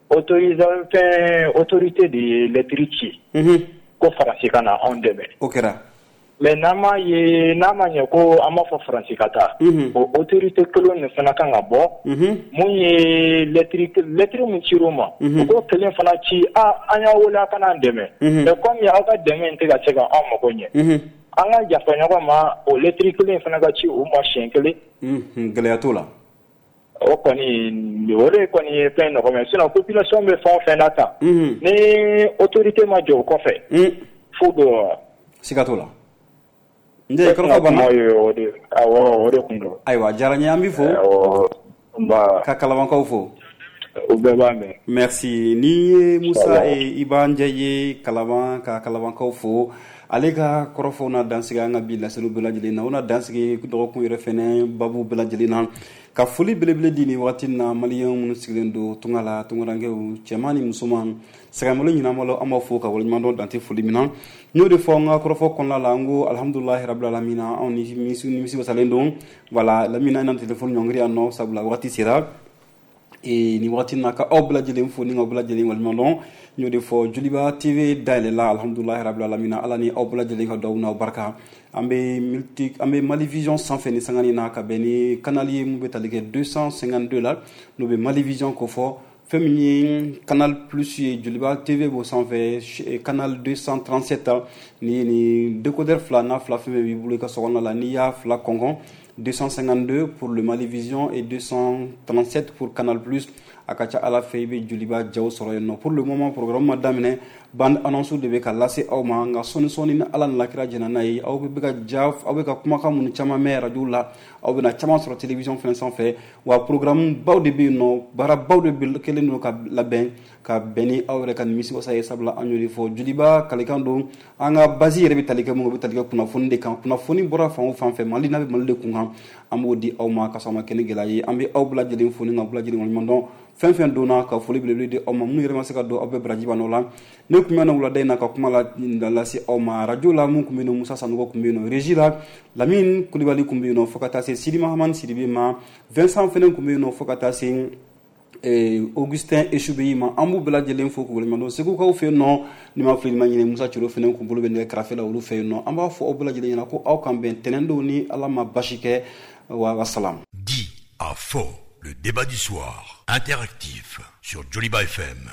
Autorisation fɛn autorité de ye lettre ci. Unhun. Ko Faransi ka na anw dɛmɛ. O kɛra. Mais n'an m'a ye, n'a ma ɲɛ ko an b'a fɔ Faransi ka taa. Unhun. O autorité kelen de fana kan ka bɔ. Unhun. Mun ye lettre lettre min cir'u ma. Unhun. U k'o kelen fana ci, a an y'aw wele a ka n'an dɛmɛ. Unhun. Mais comme aw ka dɛmɛ in tɛ ka se ka anw mago ɲɛ. Unhun. An ka yafa ɲɔgɔn ma, o lettre kelen fana ka ci u ma siɲɛ kelen. Unhun, gɛlɛya t'o la. O kɔni, o de kɔni ye fɛn nɔgɔma ye, sinon population bɛ fɛn o fɛn na tan. Unhun. Ni autorité ma jɔ o kɔfɛ. Un. Fu don wa. Siga t'o la. Njayi, kɔrɔfɔ banna. Kuma ye o de, awɔ, o de kun don. Ayiwa, a diyara n ye, an b'i fo. Awɔ, nba. Ka Kalabankaw fo. U bɛɛ b'a mɛn. Merci. Ni ye Musa Iba Njayi ye Kalaban, ka Kalabankaw fo. Ale ka kɔrɔfɔw na dansigi an ka bi laseliw bɛɛ lajɛlen na, o na dansigi dɔgɔkun yɛrɛ fɛnɛ babu bɛɛ lajɛlen na. Ka foli belebele di nin wagati na maliyɛn minnu sigilen don tunga la, tungarankew cɛman ni musoman, sɛgɛnbolo ɲinamalo, an b'a fo ka waleɲuman dɔn dante foli min na. N y'o de fɔ n ka kɔrɔfɔ kɔnɔna la, n ko alhamdulilahi rabil alamina, anw ni nimisi wasalen don. Voilà, lamina na telefɔni ɲɔngiri yan nɔ, sabula wagati sera. E ni wagati na ka aw bɛɛ lajɛlen fo ni k'aw bɛɛ lajɛlen waleɲuman dɔn. N y'o de fɔ, Joliba T V dayɛlɛla alhamdulilahi rabil alamina, ala ni aw bɛɛ lajɛlen ka duwawu n'aw barika. An bɛ multi, an bɛ Mali Vision sanfɛ ni sangani na ka bɛn ni canal ye mun bɛ tali kɛ deux cent cinquante-deux la, n'o bɛ Mali Vision ko fɔ. Fɛn min ye Canal Plus ye, Joliba T V b'o sanfɛ, canal deux cent trente-sept. Ni ni décodeur fila n'a fila fɛn fɛn b'i bolo i ka sokɔnɔna la, n'i y'a fila kɔnkɔn, deux cent cinquante-deux pour le Mali Vision et deux cent trente-sept pour Canal Plus. A ka ca Ala fɛ i bɛ Joliba jaw sɔrɔ yen nɔ. Pour le moment programme ma daminɛ, bande annonce de bɛ ka lase aw ma, nka sɔɔni sɔɔni ni Ala ni lakira jɛna n'a ye, aw bɛ ka ja, aw bɛ ka kumakan minnu caman mɛn radio la, aw bɛna caman sɔrɔ télévision fɛnɛ sanfɛ. Wa programme baw de bɛ yen nɔ, baara baw de bɛ kɛlen don ka labɛn ka bɛn ni aw yɛrɛ ka nimisiwasa ye, sabula an y'o de fɔ. Joliba kalikan don, an ka base yɛrɛ bɛ tali kɛ mun, o bɛ tali kɛ kunnafoni de kan. Kunnafoni bɔra fan o fan fɛ, Mali n'a bɛ Mali de kun kan, An b'o di aw ma ka sɔrɔ a ma kɛ ni gɛlɛya ye. An bɛ aw bɛɛ lajɛlen fo ni ka bɛɛ lajɛlen waleɲuman dɔn. Fɛn fɛn donna ka foli belebele di aw ma, minnu yɛrɛ ma se ka don, aw bɛɛ baraji b'an la. Ne tun bɛ na wulada in na ka kuma la lase aw ma radio la. Mun tun bɛ yen nɔ, Musa Sanogo tun bɛ yen nɔ, régie la Lamine Kulibali tun bɛ yen nɔ, fo ka taa se Sidi Mahamani Sidibe ma. Vincent fɛnɛ tun bɛ yen nɔ, fo ka taa se Augustin Esubeyi ma. An b'u bɛɛ lajɛlen fo k'u waleɲuman dɔn. Segukaw fɛ yen nɔ, ni ma fili ma ɲinɛ, Musa Ciro fɛnɛ kun bolo bɛ nɛgɛ karafe la olu fɛ yen nɔ. An b'a fɔ aw bɛɛ lajɛlen ɲɛna ko aw kan bɛn tɛnɛn don ni Ala ma basi kɛ. Wa salam. Di à faux, le débat du soir, interactif sur Joliba F M.